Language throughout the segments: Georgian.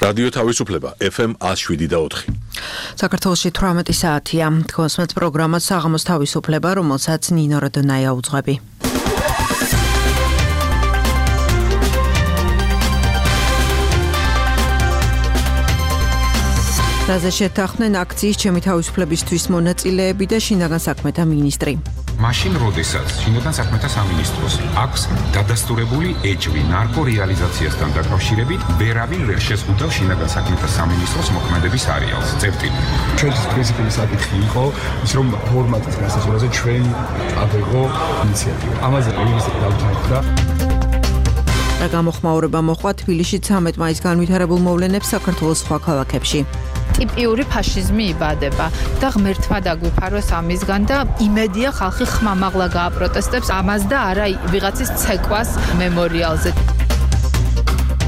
რადიო თავისუფლება FM 107.4. საქართველოში 18 საათია. თქვენს პროგრამა საღამოს თავისუფლება, რომელსაც ნინო როდონაია უძღვები. რაზე შეთანხმდნენ აქციის ჩემი თავისუფლებისთვის მონაწილეები და შინაგან საქმეთა მინისტრი. მაშინ როდესაც შინაგან საქმეთა სამინისტროს აქვს დადასტურებული ეჭვი ნარკო რეალიზაციასთან დაკავშირებით, ვერავინ ვერ შეზღუდავს შინაგან საქმეთა სამინისტროს მოქმედების არეალს. წერტილი. ჩვენთვის პრინციპი საკითხი იყო ის, რომ ფორმატის გასაზრდაზე ჩვენ ავიღო ინიციატივა. ამაზე მინისტრი დაუჯანხდა. და გამოხმაურება მოხდა თბილისში 13 მაისს განვითარებულ მოვლენებს საქართველოს სხვა ქალაქებში. ტიპიური ფაშიზმი იბადება და ღმერთმა დაგვიფაროს ამისგან და იმედია ხალხი ხმამაღლა გააპროტესტებს ამას და არა ვიღაცის ცეკვას მემორიალზე.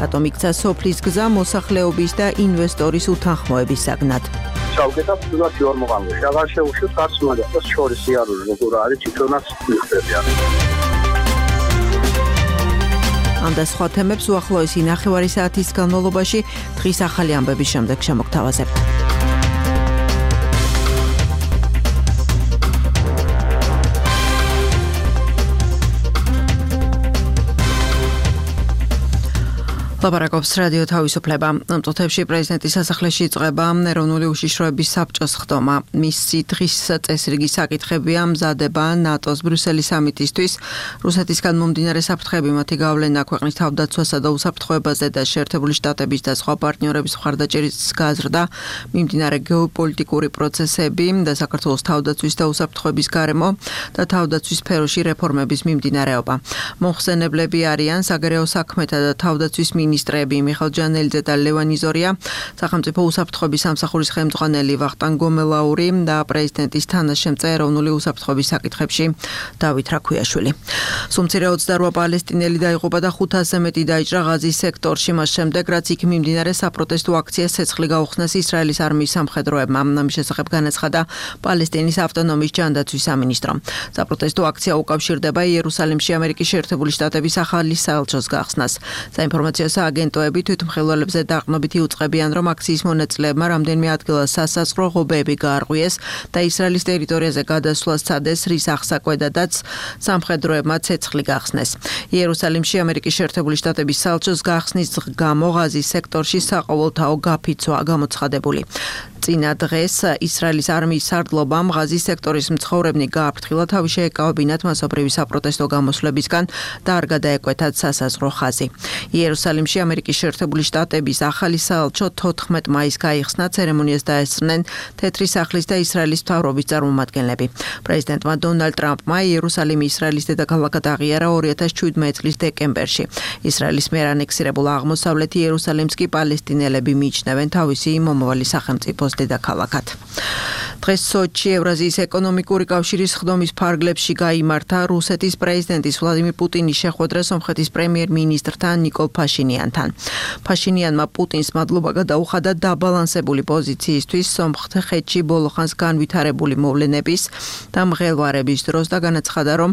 რატომ იქცა სოფლის გზა მოსახლეობის და ინვესტორის უთანხმოების საგნად? ჩავგედა ფულად იორმოღანო. აღარ შეუშვით არც მაგას შორის იარული როგორ არის თვითონაც მიხდებიან. ამ და სხვა თემებს უახლოესი ნახევარი საათის განმავლობაში დღის ახალი ამბების შემდეგ შემოგთავაზებთ. ლაპარაკობს რადიო თავისუფლება. ამ წუთებში პრეზიდენტის სასახლეში იწყება ეროვნული უშიშროების საბჭოს ხდომა. მისი დღის წესრიგი საკითხებია მზადება ნატოს ბრიუსელის სამიტისთვის, რუსეთისგან მომდინარე საფრთხეები, მათი გავლენა ქვეყნის თავდაცვასა და უსაფრთხოებაზე და შეერთებული შტატების და სხვა პარტნიორების მხარდაჭერის გაზრდა, მიმდინარე გეოპოლიტიკური პროცესები და საქართველოს თავდაცვის და უსაფრთხოების გარემო და თავდაცვის სფეროში რეფორმების მიმდინარეობა. მომხსენებლები არიან საგარეო საქმეთა და თავდაცვის მინისტრები მიხეილ ჯანელიძე და ლევან იზორია, სახელმწიფო უსაფრთხოების სამსახურის ხელმძღვანელი ვახტანგ გომელაური და პრეზიდენტის თანაშემწე ეროვნული უსაფრთხოების საკითხებში დავით რაქვიაშვილი. სუმცირე 28 პალესტინელი დაიღუპა და 500-ზე მეტი დაიჭრა ღაზის სექტორში, მას შემდეგ რაც იქ მიმდინარე საპროტესტო აქციას ცეცხლი გაუხსნეს ისრაელის არმიის სამხედროებმა. ამის შესახებ განაცხადა პალესტინის ავტონომიის ჯანდაცვის სამინისტრო. საპროტესტო აქცია უკავშირდება იერუსალიმში ამერიკის შეერთებული შტატების ახალი საელჩოს გახსნას. საინფორმაციო აგენტოები თვითმხილველებზე დაყრდნობით იუწყებიან, რომ აქციის მონაწილეებმა რამდენიმე ადგილას სასაზღვრო ღობეები გაარღვიეს და ისრაელის ტერიტორიაზე გადასვლას სცადეს, რის აღსაკვედადაც სამხედროებმა ცეცხლი გახსნეს. იერუსალიმში ამერიკის შეერთებული შტატების საელჩოს გახსნის გამო ღაზის სექტორში საყოველთაო გაფიცვაა გამოცხადებული. წინა დღეს ისრაელის არმიის სარდლობამ ღაზის სექტორის მცხოვრებნი გააფრთხილა თავი შეეკავებინათ მასობრივი საპროტესტო გამოსვლებისგან და არ გადაეკვეთათ სასაზღვრო ხაზი. იერუსალიმში ამერიკის შეერთებული შტატების ახალი საელჩო 14 მაისს გაიხსნა, ცერემონიას დაესწრნენ თეთრი სახლის და ისრაელის მთავრობის წარმომადგენლები. პრეზიდენტმა დონალდ ტრამპმა იერუსალიმი ისრაელის დედაქალაქად აღიარა 2017 წლის დეკემბერში. ისრაელის მიერ ანექსირებულ აღმოსავლეთ იერუსალიმს კი პალესტინელები მიიჩნევენ თავისი მომავალი სახელმწიფოს დედაქალაქად. დღეს სოჩში ევრაზიის ეკონომიკური კავშირის ხდომის ფარგლებში გაიმართა რუსეთის პრეზიდენტის ვლადიმირ პუტინის შეხვედრა სომხეთის პრემიერ-მინისტრთან ნიკოლ ფაშინიანთან. ფაშინიანმა პუტინს მადლობა გადაუხადა დაბალანსებული პოზიციისთვის სომხეთში ბოლო ხანს განვითარებული მოვლენების და მღელვარების დროს და განაცხადა, რომ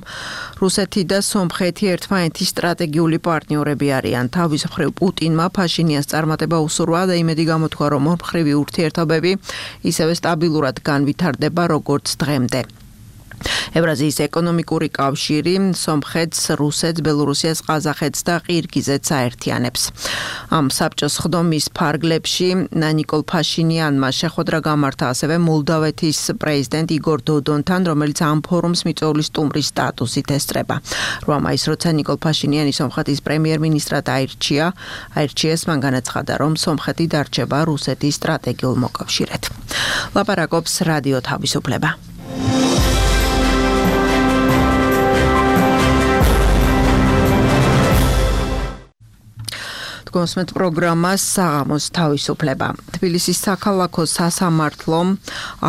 რუსეთი და სომხეთი ერთმანეთის სტრატეგიული პარტნიორები არიან. თავის მხრივ პუტინმა ფაშინიანს წარმატება უსურვა და იმედი გამოთქვა, რომ ორმხრივი ურთიერთობები ისევე სტაბილურად განვითარდება როგორც დღემდე. ევრაზიის ეკონომიკური კავშირი სომხეთს, რუსეთს, ბელორუსიას, ყაზახეთს და ყირგიზეთს აერთიანებს. ამ საბჭოს ხდომის ფარგლებში ნიკოლ ფაშინიანმა შეხვედრა გამართა ასევე მოლდავეთის პრეზიდენტ იგორ დოდონთან, რომელიც ამ ფორუმს მიწვეული სტუმრის სტატუსით ესწრება. 8 მაისს როცა ნიკოლ ფაშინიანი სომხეთის პრემიერ-მინისტრად აირჩიეს, მან განაცხადა, რომ სომხეთი დარჩება რუსეთის სტრატეგიულ მოკავშირედ. ლაპარაკობს რადიო თავისუფლება. გოსმეთ პროგრამას საღამოს თავისუფლება. თბილისის საქალაქო სასამართლო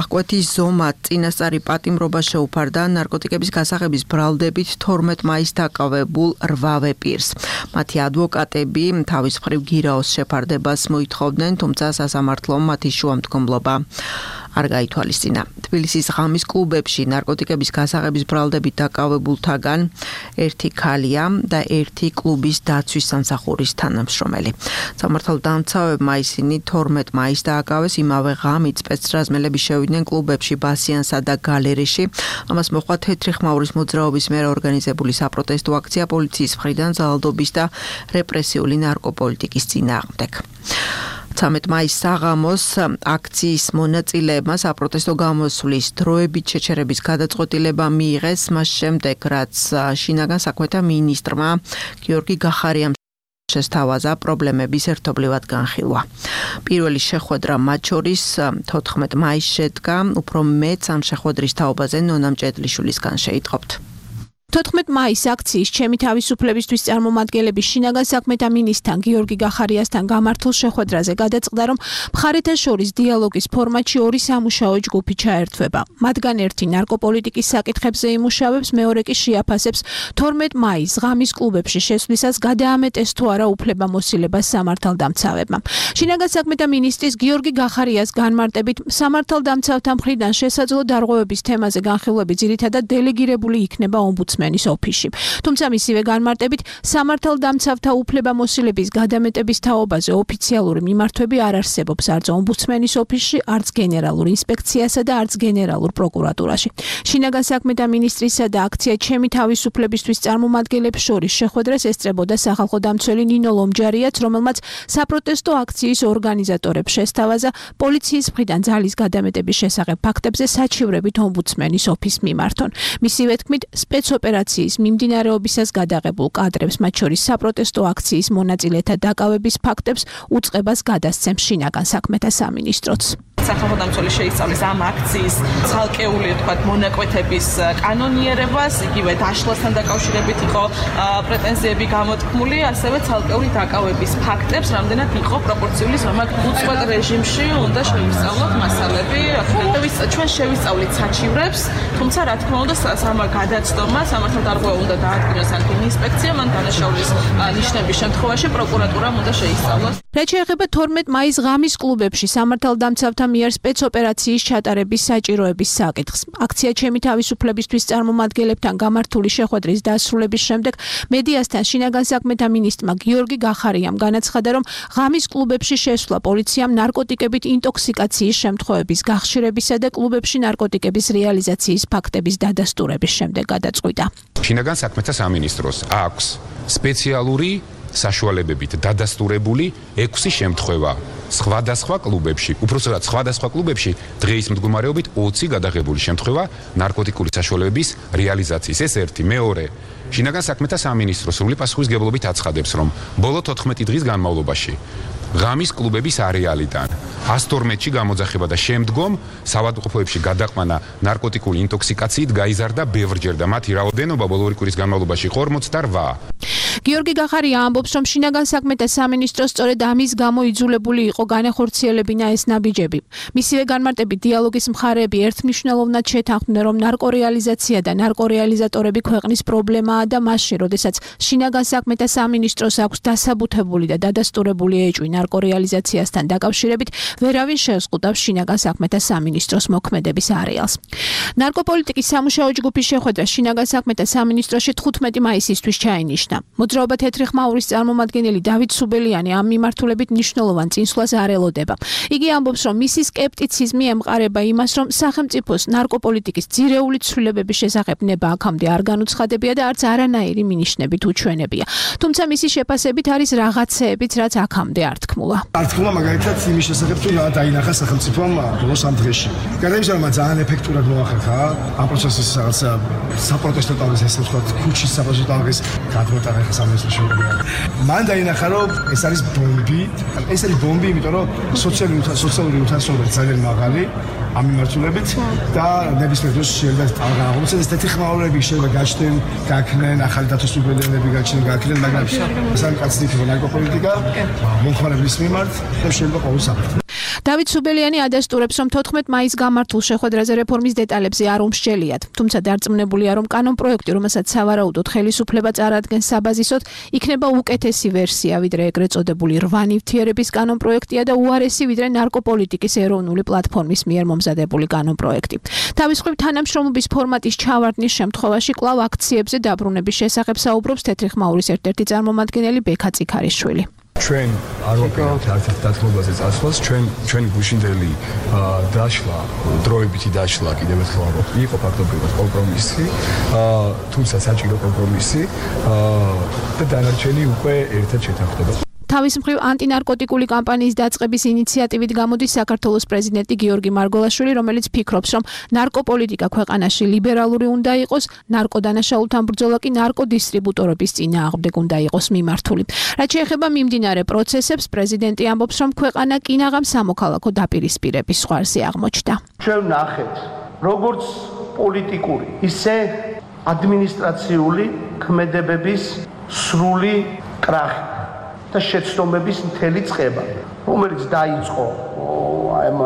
აღკვეთის ზომად წინასწარი პატიმრობა შეუფარდა ნარკოტიკების გასაღების ბრალდებით 12 მაისს დაკავებულ 8 პირს. მათი ადვოკატები თავის მხრივ გირაოს შეფარდებას მოითხოვდნენ, თუმცა სასამართლომ მათი შუამდგომლობა არ გაითვალისწინა. თბილისის ღამის კლუბებში ნარკოტიკების გასაღების ბრალდებით დაკავებულთაგან ერთი ქალია და ერთი კლუბის დაცვის სამსახურის თანამშრომელი. სამართალდამცავებმა ისინი 12 მაისს დააკავეს. იმავე ღამით სპეცრაზმელები შევიდნენ კლუბებში ბასიანსა და გალერეში. ამას მოჰყვა თეთრი ხმაურის მოძრაობის მიერ ორგანიზებული საპროტესტო აქცია პოლიციის მხრიდან ძალადობის და რეპრესიული ნარკოპოლიტიკის წინააღმდეგ. 13 მაისს საღამოს აქციის მონაწილეებმა საპროტესტო გამოსვლის დროებით შეჩერების გადაწყვეტილება მიიღეს მას შემდეგ, რაც შინაგან საქმეთა მინისტრმა გიორგი გახარიამ შესთავაზა პრობლემების ერთობლივად განხილვა. პირველი შეხვედრა მათ შორის 14 მაისს შედგა, უფრო მეც ამ შეხვედრის თაობაზე ნონა მჭედლიშვილისგან შეიტყობთ. 14 მაისს აქციის ჩემი თავისუფლებისთვის წარმომადგენლები შინაგან საქმეთა მინისტრთან გიორგი გახარიასთან გამართულ შეხვედრაზე გადაწყდა, რომ მხარეთა შორის დიალოგის ფორმატში ორი სამუშაო ჯგუფი ჩაერთვება. მათგან ერთი ნარკოპოლიტიკის საკითხებზე იმუშავებს, მეორე კი შეაფასებს 12 მაისს ღამის კლუბებში შესვლისას გადაამეტეს თუ არა უფლებამოსილებას სამართალდამცავებმა. შინაგან საქმეთა მინისტრის გიორგი გახარიას განმარტებით, სამართალდამცავთა მხრიდან შესაძლო დარღვევების თემაზე განხილვები ძირითადად დელეგირებული იქნება ომბუდსმენის ოფისში. თუმცა მისივე განმარტებით, სამართალდამცავთა უფლებამოსილების გადამეტების თაობაზე ოფიციალური მიმართვები არ არსებობს არც ომბუდსმენის ოფისში, არც გენერალურ ინსპექციასა და არც გენერალურ პროკურატურაში. შინაგან საქმეთა მინისტრისა და აქცია ჩემი თავისუფლებისთვის წარმომადგენლებს შორის შეხვედრას ესწრებოდა სახალხო დამცველი ნინო ლომჯარიაც, რომელმაც საპროტესტო აქციის ორგანიზატორებს შესთავაზა პოლიციის მხრიდან ძალის გადამეტების შესახებ ფაქტებზე საჩივრებით ომბუდსმენის ოფისს მიმართონ. მისივე თქმით, სპეცოპერაციის მიმდინარეობისას გადაღებულ კადრებს, მათ შორის საპროტესტო აქციის მონაწილეთა დაკავების ფაქტებს უწყებას გადასცემს შინაგან საქმეთა სამინისტროც. სახალხო დამცველი შეისწავლის ამ აქციის ცალკეული მონაკვეთების კანონიერებას, იგივე დაშლასთან დაკავშირებით იყო პრეტენზიები გამოთქმული, ასევე ცალკეული დაკავების ფაქტებს, რამდენად იყო პროპორციული ზომა უწყვეტ რეჟიმში უნდა შეისწავლოთ მასალები. ჩვენ შევისწავლით საჩივრებს, თუმცა რა თქმა უნდა გადაცდომა სამართალდარღვევა უნდა დაადგინოს ან ინსპექცია, მან დანაშაულის ნიშნების შემთხვევაში პროკურატურამ უნდა შეისწავლოს. რაც შეეხება 12 მაისს ღამის კლუბებში სამართალდამცავთა მიერ სპეცოპერაციის ჩატარების საჭიროების საკითხს. აქცია ჩემი თავისუფლებისთვის წარმომადგენლებთან გამართული შეხვედრის დასრულების შემდეგ მედიასთან შინაგან საქმეთა მინისტრმა გიორგი გახარიამ განაცხადა, რომ ღამის კლუბებში შესვლა პოლიციამ ნარკოტიკებით ინტოქსიკაციის შემთხვევების გახშირებისა და კლუბებში ნარკოტიკების რეალიზაციის ფაქტების დადასტურების შემდეგ გადაწყვიტა. შინაგან საქმეთა სამინისტროს აქვს სპეციალური საშუალებებით დადასტურებული 6 შემთხვევა სხვადასხვა კლუბებში, უпростоრად სხვადასხვა კლუბებში დღეის მდგომარეობით 20 გადაღებული შემთხვევა ნარკოტიკული საშუალებების რეალიზაციის. ეს ერთი, მეორე, შინაგან საქმეთა სამინისტრო სრული პასუხისმგებლობით აცხადებს, რომ ბოლო 14 დღის განმავლობაში ღამის კლუბების არეალიდან 112-ში გამოძახება და შემდგომ საავადმყოფოებში გადაყვანა ნარკოტიკული ინტოქსიკაციით გაიზარდა ბევრჯერ და მათი რაოდენობა ბოლო 2 კვირის განმავლობაში 48. გიორგი გახარია ამბობს, რომ შინაგან საქმეთა სამინისტრო სწორედ ამის გამო იძულებული იყო განეხორციელებინა ეს ნაბიჯები. მისივე განმარტებით, დიალოგის მხარეები ერთმნიშვნელოვნად შეთანხმდნენ, რომ ნარკორეალიზაცია და ნარკორეალიზატორები ქვეყნის პრობლემაა და მასში, როდესაც შინაგან საქმეთა სამინისტროს აქვს დასაბუთებული და დადასტურებული ეჭვი ნარკორეალიზაციასთან დაკავშირებით, ვერავინ შეეზღუდავს შინაგან საქმეთა სამინისტროს მოქმედების არეალს. ნარკოპოლიტიკის სამუშაო ჯგუფის შეხვედრა შინაგან საქმეთა სამინისტროში 15 მაისისთვის ჩაინიშნა. მოძრაობა თეთრი ხმაურის წარმომადგენელი დავით სუბელიანი ამ მიმართულებით მნიშვნელოვან წინსვლას არ ელოდება. იგი ამბობს, რომ მისი სკეპტიციზმი ემყარება იმას, რომ სახელმწიფოს ნარკოპოლიტიკის ძირეული ცვლილებების შესახებ ნება აქამდე არ განუცხადებია და არც არანაირი მინიშნებით უჩვენებია. თუმცა მისი შეფასებით არის რაღაცეებიც, რაც აქამდე არ თქმულა. არ თქმულა მაგალითად იმის შესახებ, თუ რა დაინახა სახელმწიფომ ბოლოს ამ დღეში. გადაიმის რომ ძალიან ეფექტურად მოახერხა ამ პროცესის რაღაცა საპროტესტო ტალღის ესე ვთქვათ, ქუჩის საპროტესტო ტალღის გადმოტანა სამინისტროში. მან დაინახა, რომ ეს არის ბომბი. ეს არის ბომბი, იმიტომ რომ სოციალური უთანასწორობა ძალიან მაღალი ამ მიმართულებით და ნებისმიერ დროს შეიძლება ტალღა აღმოცენდეს. ეს თეთრი ხმაურები შეიძლება გაჩნდნენ, გაქნენ, ახალი დათვისუფლებელები გაჩნდნენ, გაქნენ, მაგრამ სამკაცნით ნარკოპოლიტიკა მომხმარებლის მიმართ და შეიძლება ყოველ საფრთხე. დავით სუბელიანი ადასტურებს, რომ 14 მაისს გამართულ შეხვედრაზე რეფორმის დეტალებზე არ უმსჯელიათ, თუმცა დარწმუნებულია, რომ კანონპროექტი, რომელსაც სავარაუდოდ ხელისუფლება წარადგენს საბაზისოდ, იქნება უკეთესი ვერსია, ვიდრე ეგრეთ წოდებული 8 ნივთიერების კანონპროექტია და უარესი, ვიდრე ნარკოპოლიტიკის ეროვნული პლატფორმის მიერ მომზადებული კანონპროექტი. თავის მხრივ თანამშრომლობის ფორმატის ჩავარდნის შემთხვევაში კვლავ აქციებზე დაბრუნების შესახებ საუბრობს თეთრი ხმაურის ერთ-ერთი წარმომადგენელი ბექა წიქარიშვილი. ჩვენ არ ვაპირებთ არც დათმობაზე წასვლას, ჩვენი გუშინდელი დაშლა, დროებითი დაშლა კიდევ ერთხელ ამბობ, იყო ფაქტობრივად კომპრომისი, თუმცა საჭირო კომპრომისი და დანარჩენი უკვე ერთად შეთანხმდება. თავის მხრივ ანტინარკოტიკული კამპანიის დაწყების ინიციატივით გამოდის საქართველოს პრეზიდენტი გიორგი მარგველაშვილი, რომელიც ფიქრობს, რომ ნარკოპოლიტიკა ქვეყანაში ლიბერალური უნდა იყოს, ნარკოდანაშაულთან ბრძოლა კი ნარკოდისტრიბუტორების წინააღმდეგ უნდა იყოს მიმართული. რაც შეეხება მიმდინარე პროცესებს, პრეზიდენტი ამბობს, რომ ქვეყანა კინაღამ სამოქალაქო დაპირისპირების ზღვარზე აღმოჩნდა. ჩვენ ნახეთ, როგორც პოლიტიკური, ისე ადმინისტრაციული ქმედებების სრული კრახი და შეცდომების მთელი წყება, რომელიც დაიწყო ამ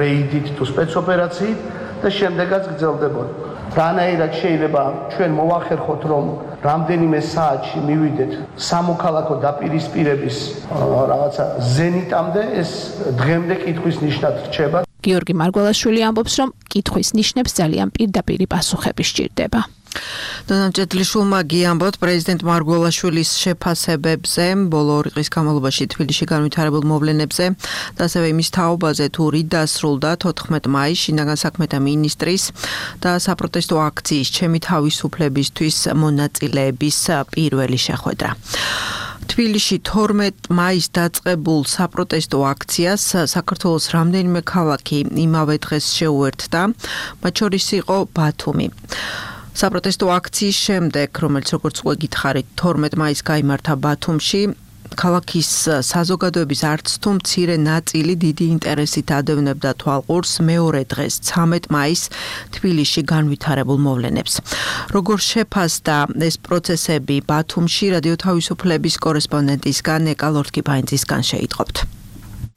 რეიდით თუ სპეცოპერაციით და შემდეგაც გრძელდებოდა. რანაირად შეიძლება ჩვენ მოვახერხოთ, რომ რამდენიმე საათში მივიდეთ სამოქალაქო დაპირისპირების რაღაცა ზენიტამდე, ეს დღემდე კითხვის ნიშნად რჩება. გიორგი მარგველაშვილი ამბობს, რომ კითხვის ნიშნებს ძალიან პირდაპირი პასუხები სჭირდება. დანამჭედლიშვილმა გიამბოთ პრეზიდენტ მარგველაშვილის შეფასებებზე, ბოლო 2 დღის განმავლობაში თბილისში განვითარებულ მოვლენებზე და ასევე იმის თაობაზე, თუ რით დასრულდა 14 მაისს შინაგან საქმეთა მინისტრის და საპროტესტო აქციის ჩემი თავისუფლებისთვის მონაწილეების პირველი შეხვედრა. თბილისში 12 მაისს დაწყებულ საპროტესტო აქციას საქართველოს რამდენიმე ქალაქი იმავე დღეს შეუერთდა, მათ შორის იყო ბათუმი. საპროტესტო აქციის შემდეგ, რომელიც როგორც უკვე გითხარით, 12 მაისს გაიმართა ბათუმში, ქალაქის საზოგადოების არც თუ მცირე ნაწილი დიდი ინტერესით ადევნებდა თვალყურს მეორე დღეს, 13 მაისს თბილისში განვითარებულ მოვლენებს. როგორ შეფასდა ეს პროცესები ბათუმში, რადიო თავისუფლების კორესპონდენტისგან ეკა ლორთქიფაინძისგან შეიტყობთ.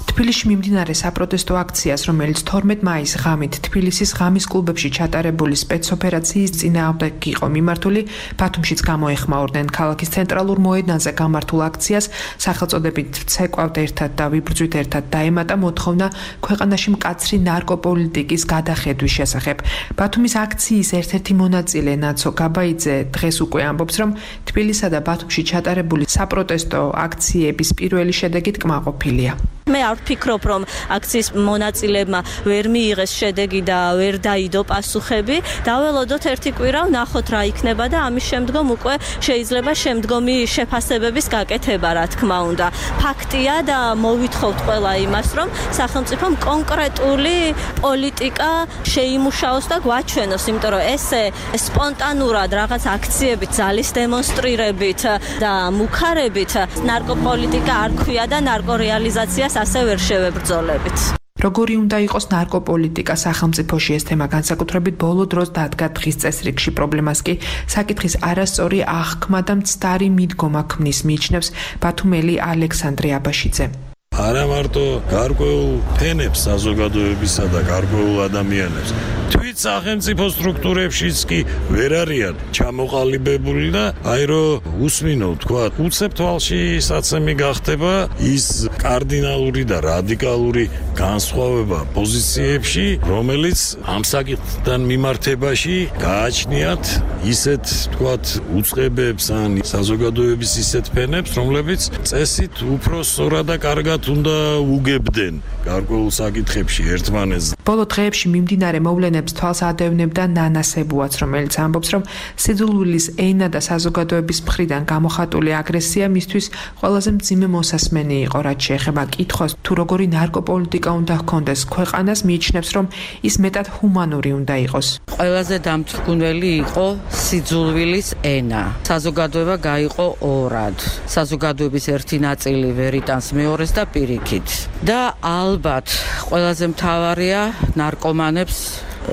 თბილისში მიმდინარე საპროტესტო აქციას, რომელიც 12 მაისს ღამით თბილისის ღამის კლუბებში ჩატარებული სპეცოპერაციის წინააღმდეგ იყო მიმართული, ბათუმშიც გამოეხმაურდნენ ქალაქის ცენტრალურ მოედანზე გამართულ აქციას, სახელწოდებით "ვცეკვავთ ერთად და ვიბრძვით ერთად" დაემატა მოთხოვნა ქვეყანაში მკაცრი ნარკოპოლიტიკის გადახედვის შესახებ. ბათუმის აქციის ერთ-ერთი მონაწილე ნაცო გაბაიძე დღეს უკვე ამბობს, რომ თბილისსა და ბათუმში ჩატარებული საპროტესტო აქციების პირველი შედეგით კმაყოფილია. მე არ ვფიქრობ, რომ აქციის მონაწილებმა ვერ მიიღეს შედეგი და ვერ დაიდო პასუხები. დაველოდოთ ერთი კვირა, ვნახოთ რა იქნება და ამის შემდგომ უკვე შეიძლება შემდგომი შეფასებების გაკეთება, რა თქმა უნდა. ფაქტია და მოვითხოვთ ყველა იმას, რომ სახელმწიფომ კონკრეტული პოლიტიკა შეიმუშაოს და გვაჩვენოს, იმიტომ რომ ესე სპონტანურად რაღაც აქციებით, ძალის დემონსტრირებით და მუქარებით ნარკოპოლიტიკა არ ქვია და ნარკორეალიზაციას ასე ვერ შევებრძოლებით. როგორი უნდა იყოს ნარკოპოლიტიკა სახელმწიფოში, ეს თემა განსაკუთრებით ბოლო დროს დადგა დღის წესრიგში. პრობლემას კი საკითხის არასწორი აღქმა და მცდარი მიდგომა ქმნის, მიიჩნევს ბათუმელი ალექსანდრე აბაშიძე. არა მარტო გარკვეულ ფენებს საზოგადოებისა და გარკვეულ ადამიანებს, თვით სახელმწიფო სტრუქტურებშიც კი ვერ არიან ჩამოყალიბებული და აი რომ უსმინო თქვა, უცებ თვალში საცემი გახდება ის კარდინალური და რადიკალური განსხვავება პოზიციებში, რომელიც ამ საკითხთან მიმართებაში გააჩნიათ ისეთ თქვათ უწყებებს ან საზოგადოების ისეთ ფენებს, რომლებიც წესით უფრო სწორად და კარგად უნდა უგებდნენ გარკვეულ საკითხებში ერთმანეთს. ბოლო დღეებში მიმდინარე მოვლენებს თვალს ადევნებდა ნანა სებუაც, რომელიც ამბობს, რომ სიძულვილის ენა და საზოგადოების მხრიდან გამოხატული აგრესია მისთვის ყველაზე მძიმე მოსასმენი იყო, რაც შეეხება კითხვას, თუ როგორი ნარკოპოლიტიკა უნდა ჰქონდეს ქვეყანას, მიიჩნევს, რომ ის მეტად ჰუმანური უნდა იყოს. ყველაზე დამთრგუნველი იყო სიძულვილის ენა. საზოგადოება გაიყო ორად. საზოგადოების ერთი ნაწილი ვერ იტანს მეორეს და პირიქით. და ალბათ ყველაზე მთავარია ნარკომანებს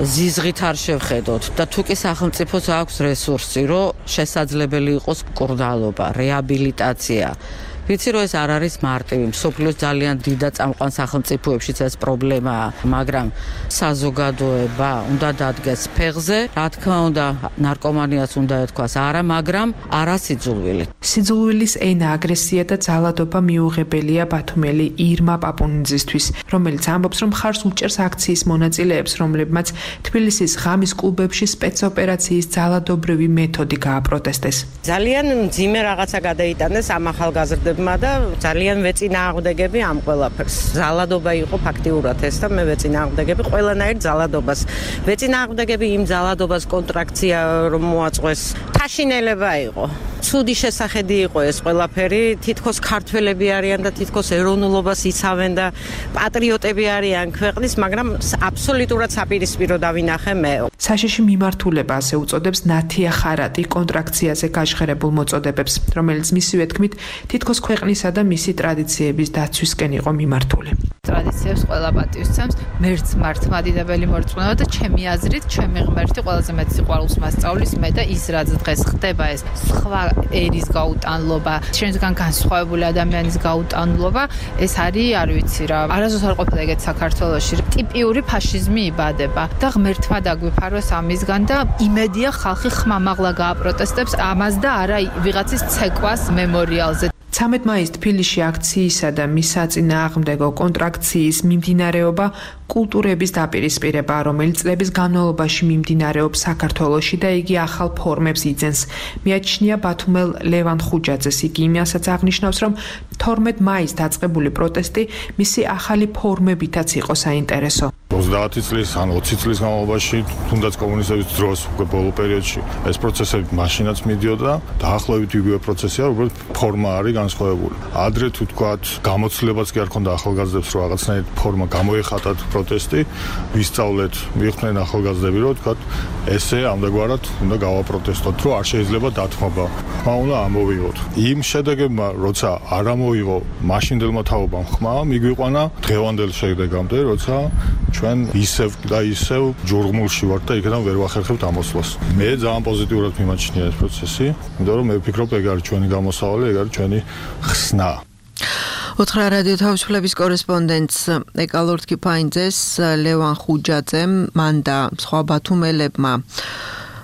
ზიზღით არ შევხედოთ და თუ კი სახელმწიფოს აქვს რესურსი, რომ შესაძლებელი იყოს მკურნალობა, რეაბილიტაცია, ვიცი რომ ეს არ არის მარტივი, მსოფლიოს ძალიან დიდ და წამყვან სახელმწიფოებშიც ეს პრობლემაა, მაგრამ საზოგადოება უნდა დადგეს ფეხზე, რა თქმა უნდა, ნარკომანიას უნდა ეთქვას არა, მაგრამ არა სიძულვილი. სიძულვილის ენა, აგრესია და ძალადობა მიუღებელია ბათუმელი ირმა პაპუნიძისთვის, რომელიც ამბობს, რომ ხარს უჭერს აქციის მონაწილეებს, რომლებმაც თბილისის ღამის კლუბებში სპეცოპერაციის ძალადობრივი მეთოდი გააპროტესტეს. ძალიან მძიმე რაღაცა გადაიტანეს ამ ახალგაზრდებმა და ძალიან ვეწინააღმდეგები ამ ყველაფერს. ძალადობა იყო ფაქტიურად ეს და მე ვეწინააღმდეგები ყველანაირ ძალადობას. ვეწინააღმდეგები იმ ძალადობას კონტრაქცია რომ მოაწყვეს. თაშინელება იყო. ცუდი შესახედი იყო ეს ყველაფერი, თითქოს ქართველები არიან და თითქოს ეროვნულობას იცავენ და პატრიოტები არიან ქვეყნის, მაგრამ აბსოლუტურად საპირისპირო დავინახე მე. საშიში მიმართულება ასე უწოდებს ნათია ხარატი კონტრაქციაზე გაჟღერებულ მოწოდებებს, რომელიც მისივე თქმით თითქოს ქვეყნისა და მისი ტრადიციების დაცვისკენ იყო მიმართული. ტრადიციებს ყველა პატივისცემს, მერც მართლმადიდებელი მორწმუნეობა და ჩემი აზრით, ჩემი ღმერთი ყველაზე მეტ სიყვარულს მასწავლის მე და ის რაც დღეს ხდება ეს სხვა ერის გაუტანლობა, ჩვენგან განსხვავებული ადამიანის გაუტანლობა, ეს არის, არ ვიცი რა, არასდროს არ ყოფილა ეგეთ საქართველოში. ტიპიური ფაშიზმი იბადება და ღმერთმა დაგვიფაროს ამისგან და იმედია ხალხი ხმამაღლა გააპროტესტებს ამას და არა ვიღაცის ცეკვას მემორიალზე. 13 მაისს თბილისში აქციისა და მის საწინააღმდეგო კონტრაქციის მიმდინარეობა კულტურების დაპირისპირება, რომელიც წლების განმავლობაში მიმდინარეობს საქართველოში და იგი ახალ ფორმებს იძენს. მიაჩნია ბათუმელ ლევან ხუჯაძეს, იგი იმასაც აღნიშნავს, რომ 12 მაისს დაწყებული პროტესტი მისი ახალი ფორმებითაც იყო საინტერესო. 30 წლის ან 20 წლის განმავლობაში, თუნდაც კომუნისტების დროს, უკვე ბოლო პერიოდში ეს პროცესები მაშინაც მიდიოდა, დაახლოებით იგივე პროცესია, უბრალოდ ფორმა არის განსხვავებული. ადრე თუ თქვათ, გამოცდილებაც კი არ ქონდა ახალგაზრდებს, რომ რაღაცნაირად ფორმა გამოეხატათ პროტესტი, ვისწავლეთ, მიხვდნენ ახალგაზრდები, რომ თქვათ, ესე ამდაგვარად უნდა გავაპროტესტოთ, რომ არ შეიძლება დათმობა. ხმა უნდა ამოვიღოთ. იმ შედეგებმა, როცა არ ამოვიღო მაშინდელმა თაობამ ხმა, მიგვიყვანა დღევანდელ შედეგამდე, როცა ჩვენ ისევ და ისევ ჯურღმულში ვართ და იქიდან ვერ ვახერხებთ ამოსვლას. მე ძალიან პოზიტიურად მიმაჩნია ეს პროცესი, იმიტომ რომ მე ვფიქრობ, ეგ არის ჩვენი გამოსავალი, ეგ არის ჩვენი ხსნა. ოთხრა რადიო თავისუფლების კორესპონდენტს ეკალორდ კიფაინძეს, ლევან ხუჯაძემ, მან და სხვა ბათუმელებმა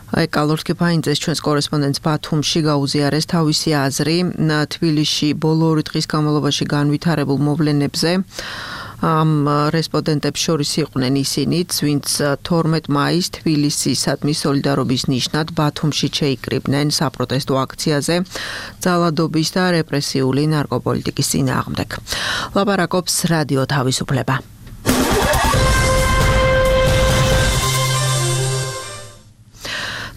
ეკალორდ კიფაინძეს ჩვენს კორესპონდენტს ბათუმში გაუზიარეს თავისი აზრი თბილისში ბოლო 2 დღის განმავლობაში განვითარებულ მოვლენებზე. ამ რესპონდენტებს შორის იყვნენ ისინიც, ვინც 12 მაისს თბილისისადმი სოლიდარობის ნიშნად ბათუმში შეიკრიბნენ საპროტესტო აქციაზე ძალადობის და რეპრესიული ნარკოპოლიტიკის წინააღმდეგ. ლაპარაკობს რადიო თავისუფლება.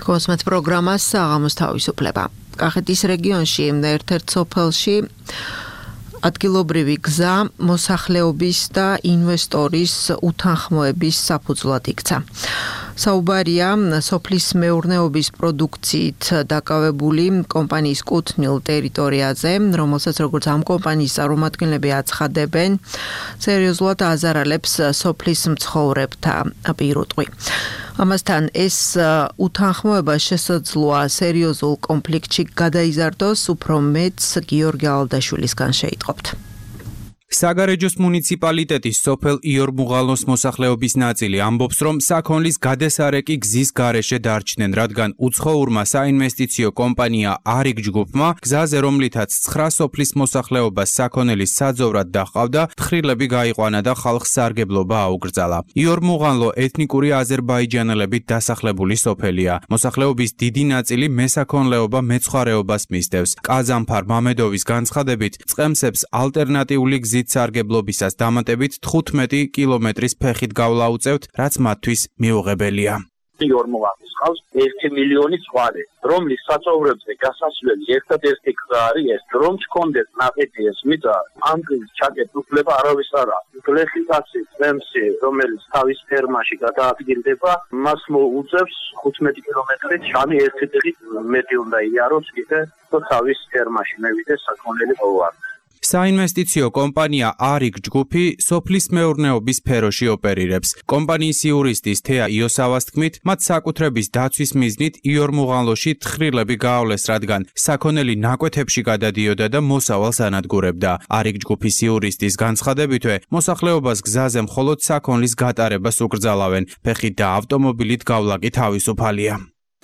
კოსმეთ პროგრამას საღამოს თავისუფლება. კახეთის რეგიონში ერთ-ერთ სოფელში ადგილობრივი გზა მოსახლეობის და ინვესტორის უთანხმოების საფუძვლად იქცა. საუბარია სოფლის მეურნეობის პროდუქციით დაკავებული კომპანიის კუთვნილ ტერიტორიაზე, რომელსაც როგორც ამ კომპანიის წარმომადგენლები აცხადებენ, სერიოზულად აზარალებს სოფლის მცხოვრებთა პირუტყვი. ამასთან ეს უთანხმოება შესაძლოა სერიოზულ კონფლიქტში გადაიზარდოს, უფრო მეტს გიორგი ალდაშვილისგან შეიტყობთ. საგარეჯოს მუნიციპალიტეტის სოფელ იორმუღალოს მოსახლეობის ნაწილი ამბობს, რომ საქონლის გადასარეკი გზის გარეშე დარჩნენ, რადგან უცხოურმა საინვესტიციო კომპანია არიგ ჯგუფმა გზაზე, რომლითაც 9 სოფლის მოსახლეობას საქონელის საძოვრად დაჰყავდა, თხრილები გაიყვანა და ხალხს სარგებლობა აუკრძალა. იორმუღალო ეთნიკური აზერბაიჯანელებით დასახლებული სოფელია. მოსახლეობის დიდი ნაწილი მესაქონლეობა მეცხვარეობას მისდევს. ყაზანფარ მამედოვის განცხადებით, წყემსებს ალტერნატიული გზით სარგებლობისას დამატებით 15 კილომეტრის ფეხით გავლა უწევთ, რაც მათთვის მიუღებელია. იორმუღალოს ყავს 1 მილიონი ცხვარი, რომლის საწოვრებზე გასასვლელი ერთადერთი გზა არის ეს, რომ ჩქონდეს ნაყიდი ეს მიწა, ამ გზის ჩაკეტ უფლება არავის არ აქვს. გლეხიკაცი წემსი, რომელიც თავის ფერმაში გადაადგილდება, მას მოუწევს 15 კილომეტრით შამი ერთი დღით მეტი უნდა იაროს კიდე, თუ თავის ფერმაში მევიდეს საქონელი ყოვარ. საინვესტიციო კომპანია ARIG ჯგუფი სოფლის მეურნეობის სფეროში ოპერირებს. კომპანიის იურისტის თეა იოსავას თქმით, მათ საკუთრების დაცვის მიზნით იორმუღალოში თხრილები გაავლეს, რადგან საქონელი ნაკვეთებში გადადიოდა და მოსავალს ანადგურებდა. ARIG ჯგუფის იურისტის განცხადებითვე, მოსახლეობას გზაზე მხოლოდ საქონლის გატარებას უკრძალავენ. ფეხით და ავტომობილით გავლა კი თავისუფალია.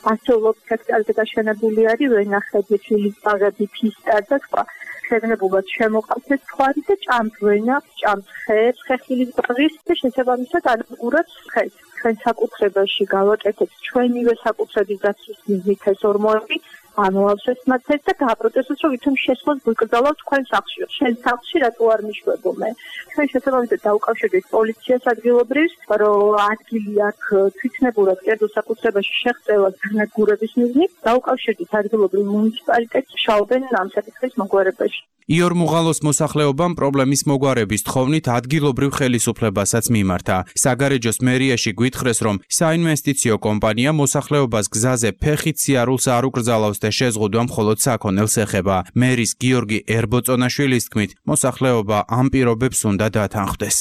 ასეულობ სექტორზე გაშენებული არის ვენახები, ფილიპაღები, ფისტა და სხვა. შეგნებულად შემოყავთ ეს ხარი და ჭამთვენა, ჭამთხეს, ხეხილის ბაღის და შესაბამისად ანადგურებს ხეს. ჩვენ საკუთრებაში გავაკეთეთ ჩვენივე საკუთრების დაცვის მიზნით ეს ორმოები, ამოვავსეთ მათ ეს და გააპროტესტოთ, რომ ვითომ შესვლას გვიკრძალავთ თქვენ სახლში. შენ სახლში რატო არ მიშვებო მე? ჩვენ შესაბამისად დავუკავშირდით პოლიციას ადგილობრივს, რომ ადგილი აქვს თვითნებურად კერძო საკუთრებაში შეღწევას განადგურების მიზნით, დავუკავშირდით ადგილობრივ მუნიციპალიტეტს, შაობენ ამ საკითხის მოგვარებაში. იორმუღალოს მოსახლეობამ პრობლემის მოგვარების თხოვნით ადგილობრივ ხელისუფლებასაც მიმართა. საგარეჯოს მერიაში გვითხრეს, რომ საინვესტიციო კომპანია მოსახლეობას გზაზე ფეხით სიარულს არ უკრძალავს და შეზღუდვა მხოლოდ საქონელს ეხება. მერის გიორგი ერბოწონაშვილის თქმით, მოსახლეობა ამ პირობებს უნდა დათანხმდეს.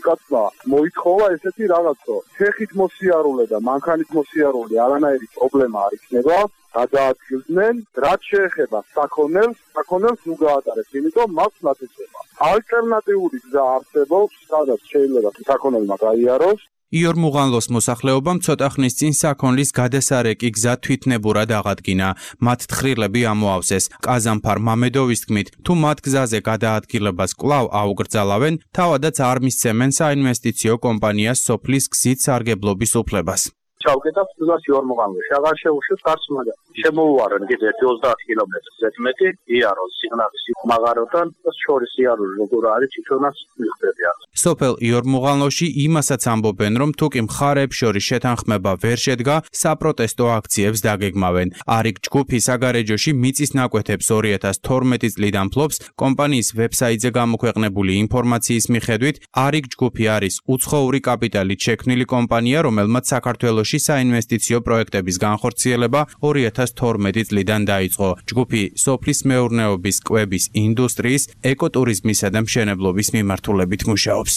კაცმა მოითხოვა ესეთი რაღაცო, ფეხით მოსიარულე და მანქანით მოსიარულე არანაირი პრობლემა არ იქნება. გადაადგილდნენ, რაც შეეხება საქონელს ნუ გაატარებს, იმიტომ მას ნათესება. ალტერნატიული გზა არსებობს, სადაც შეიძლება საქონელმა გაიაროს. იორმუღალოს მოსახლეობამ ცოტა ხნის წინ საქონლის გადასარეკი გზა თვითნებურად აღადგინა. მათ თხრილები ამოავსეს. ყაზანფარ მამედოვის თქმით, თუ მათ გზაზე გადაადგილებას კვლავ აუკრძალავენ, თავადაც არ მისცემენ საინვესტიციო კომპანიას სოფლის გზით სარგებლობის უფლებას. ჩავკეტავ გზას იორმუღალოში, აღარ შეუშვით გარს, მაგრამ შემოუვარენ კიდე 30 კილომეტრს ზედმეტი იაროს სიგნალის მაღაროდან და შორის იაროს როგორ არის თვითონაც მიხდებიან. სოფელ იორმუღალოში იმასაც ამბობენ, რომ თუკი მხარეებს შორის შეთანხმება ვერ შედგა, საპროტესტო აქციებს დაგეგმავენ. ARIG ჯგუფი საგარეჯოში მიწის ნაკვეთებს 2012 წლიდან ფლობს. კომპანიის ვებსაიტზე გამოქვეყნებული ინფორმაციის მიხედვით, ARIG ჯგუფი არის უცხოური კაპიტალით შექმნილი კომპანია, რომელმაც საქართველოში საინვესტიციო პროექტების განხორციელება 2012 წლიდან დაიწყო. ჯგუფი სოფლის მეურნეობის, კვების, ინდუსტრიის, ეკოტურიზმისა და მშენებლობის მიმართულებით მუშაობს.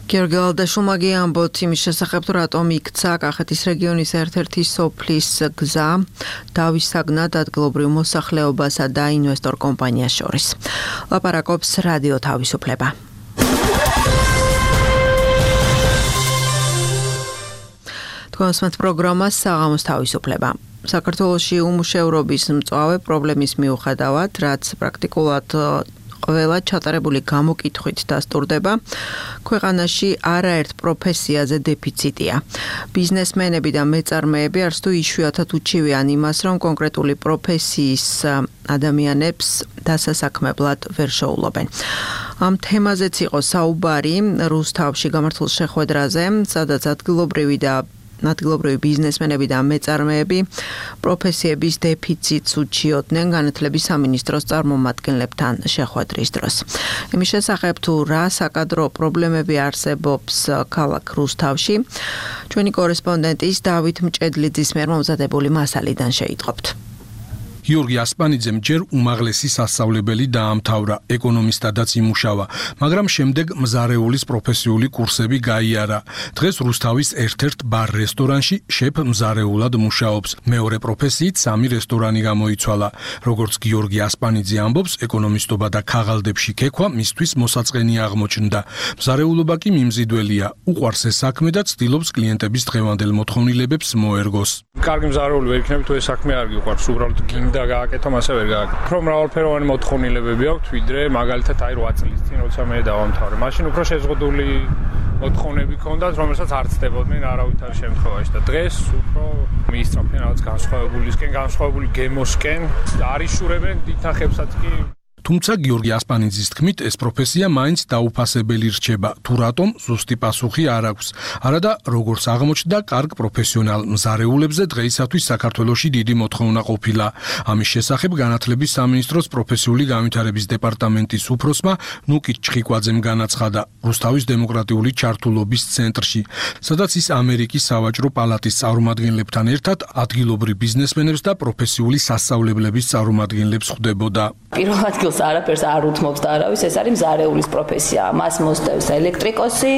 გიორგი ალდაშულმა ამბობთ იმის შესახებ, თუ რატომ იქცა კახეთის რეგიონის ერთ-ერთი სოფლის გზა დავისაგნად ადგილობრივ მოსახლეობასა და ინვესტორ კომპანიას შორის. ლაპარაკობს რადიო თავისუფლება. კონსმეთ პროგრამა საღამოს თავისუფლება. საქართველოში უმუშევრობის მწვავე პრობლემის მიუხედავად, რაც პრაქტიკულად ყველა ჩატარებული გამოკითხვით დასტურდება, ქვეყანაში არაერთ პროფესიაზე დეფიციტია. ბიზნესმენები და მეწარმეები არც თუ იშვიათად უჩივიან იმას, რომ კონკრეტული პროფესიის ადამიანებს დასასაქმებლად ვერ შეუვლობენ. ამ თემაზეც იყო საუბარი რუსთავში გამართულ შეხვედრაზე, სადაც ადგილობრივი ბიზნესმენები და მეწარმეები პროფესიების დეფიციტს უჩიოდნენ განათლების სამინისტროს წარმომადგენლებთან შეხვედრის დროს. იმის შესახებ თუ რა საკადრო პრობლემები არსებობს ქალაქ რუსთავში, ჩვენი კორესპონდენტის დავით მჭედლიძის მიერ მომზადებული მასალიდან შეიტყობთ. გიორგი ასპანიძემ ჯერ უმაღლესი სასწავლებელი დაამთავრა, ეკონომისტადაც იმუშავა, მაგრამ შემდეგ მზარეულის პროფესიული კურსები გაიარა. დღეს რუსთავის ერთ-ერთ ბარ-რესტორანში შეფ მზარეულად მუშაობს. მეორე პროფესიით 3 რესტორანი გამოიცვალა. როგორც გიორგი ასპანიძე ამბობს, ეკონომისტობა და ქაღალდებში ქექვა მისთვის მოსაწყენი აღმოჩნდა. მზარეულობა კი მიმზიდველია, უყვარს ეს საქმე და ცდილობს კლიენტების დღევანდელ მოთხოვნილებებს მოერგოს. კარგი მზარეული ვერ იქნები თუ ეს საქმე არ გიყვარს, უბრალოდ გინდა გააკეთო, მასე ვერ გააკეთო. უფრო მრავალფეროვანი მოთხოვნილებები აქვს, ვიდრე მაგალითად 8 წლის წინ როცა მე დავამთავრე. მაშინ უფრო შეზღუდული მოთხოვნები ჰქონდათ, რომელსაც არ ცდებოდნენ არავითარ შემთხვევაში და დღეს უფრო მიისწრაფენ რაღაც განსხვავებული გემოსკენ და არიშურებენ დითახებსაც კი. თუმცა გიორგი ასპანიძის თქმით, ეს პროფესია მაინც დაუფასებელი რჩება. თუ რატომ, ზუსტი პასუხი არ აქვს. არადა, როგორც აღმოჩნდა, კარგ პროფესიონალ მზარეულებზე დღეისათვის საქართველოში დიდი მოთხოვნა ყოფილა. ამის შესახებ განათლების სამინისტროს პროფესიული განვითარების დეპარტამენტის უფროსმა ნუკით ჩხიკვაძემ განაცხადა რუსთავის დემოკრატიული ჩართულობის ცენტრში, სადაც ის ამერიკის სავაჭრო პალატის წარმომადგენლებთან ერთად ადგილობრივ ბიზნესმენებს და პროფესიული სასწავლებლების წარმომადგენლებს ხვდებოდა. პირველ ადგილს სულს არაფერს არ უთმობს და არავის, ეს არის მზარეულის პროფესია. მას მოსდევს ელექტრიკოსი,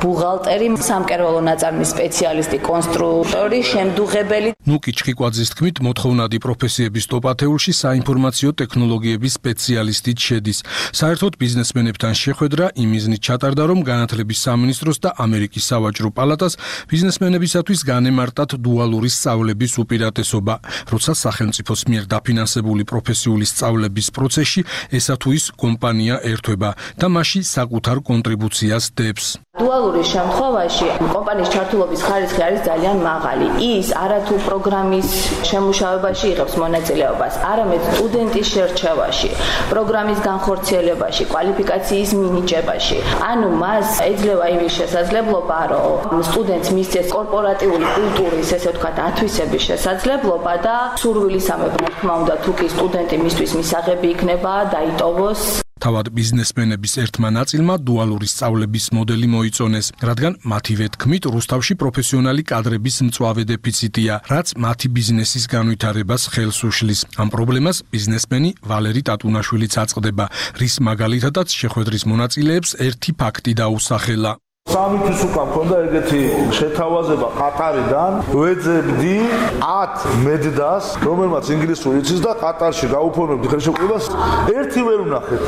ბუღალტერი, სამკერვალო ნაწარმის სპეციალისტი, კონსტრუქტორი, შემდუღებელი. ნუკი ჩხიკვაძის თქმით, მოთხოვნადი პროფესიების ტოპ-10-ში საინფორმაციო ტექნოლოგიების სპეციალისტიც შედის. საერთოდ ბიზნესმენებთან შეხვედრა იმ მიზნით ჩატარდა, რომ განათლების სამინისტროს და ამერიკის სავაჭრო პალატას ბიზნესმენებისათვის განემარტათ დუალური სწავლების უპირატესობა, როცა სახელმწიფოს მიერ დაფინანსებული პროფესიული სწავლების პროცესში ესა თუ ის კომპანია ერთვება და მასში საკუთარ კონტრიბუციას დებს. დუალურის შემთხვევაში კომპანიის ჩართულობის ხარისხი არის ძალიან მაღალი. ის არათუ პროგრამის შემუშავებაში იღებს მონაწილეობას, არამედ სტუდენტის შერჩევაში, პროგრამის განხორციელებაში, კვალიფიკაციის მინიჭებაში. ანუ მას ეძლევა იმის შესაძლებლობა, რომ სტუდენტს მისცეს კორპორატიული კულტურის, ესე ვთქვათ, ათვისების შესაძლებლობა და სურვილისამებრ, რა თქმა უნდა, თუ კი სტუდენტი მისთვის მისაღები იქნება, დაიტოვოს. თავად ბიზნესმენების ერთმა ნაწილმა დუალური სწავლების მოდელი მოიწონეს, რადგან მათივე თქმით, რუსთავში პროფესიონალი კადრების მწვავე დეფიციტია, რაც მათი ბიზნესის განვითარებას ხელს უშლის. ამ პრობლემას ბიზნესმენი ვალერი ტატუნაშვილიც აწყდება, რის მაგალითადაც შეხვედრის მონაწილეებს ერთი ფაქტი დაუსახელა. სამი თვის უკან მქონდა ეგეთი შეთავაზება ყატარიდან, ვეძებდი 10 მედდას, რომელმაც ინგლისური იცის და ყატარში გაუფორმებდი ხელშეკრულებას, ერთი ვერ ვნახეთ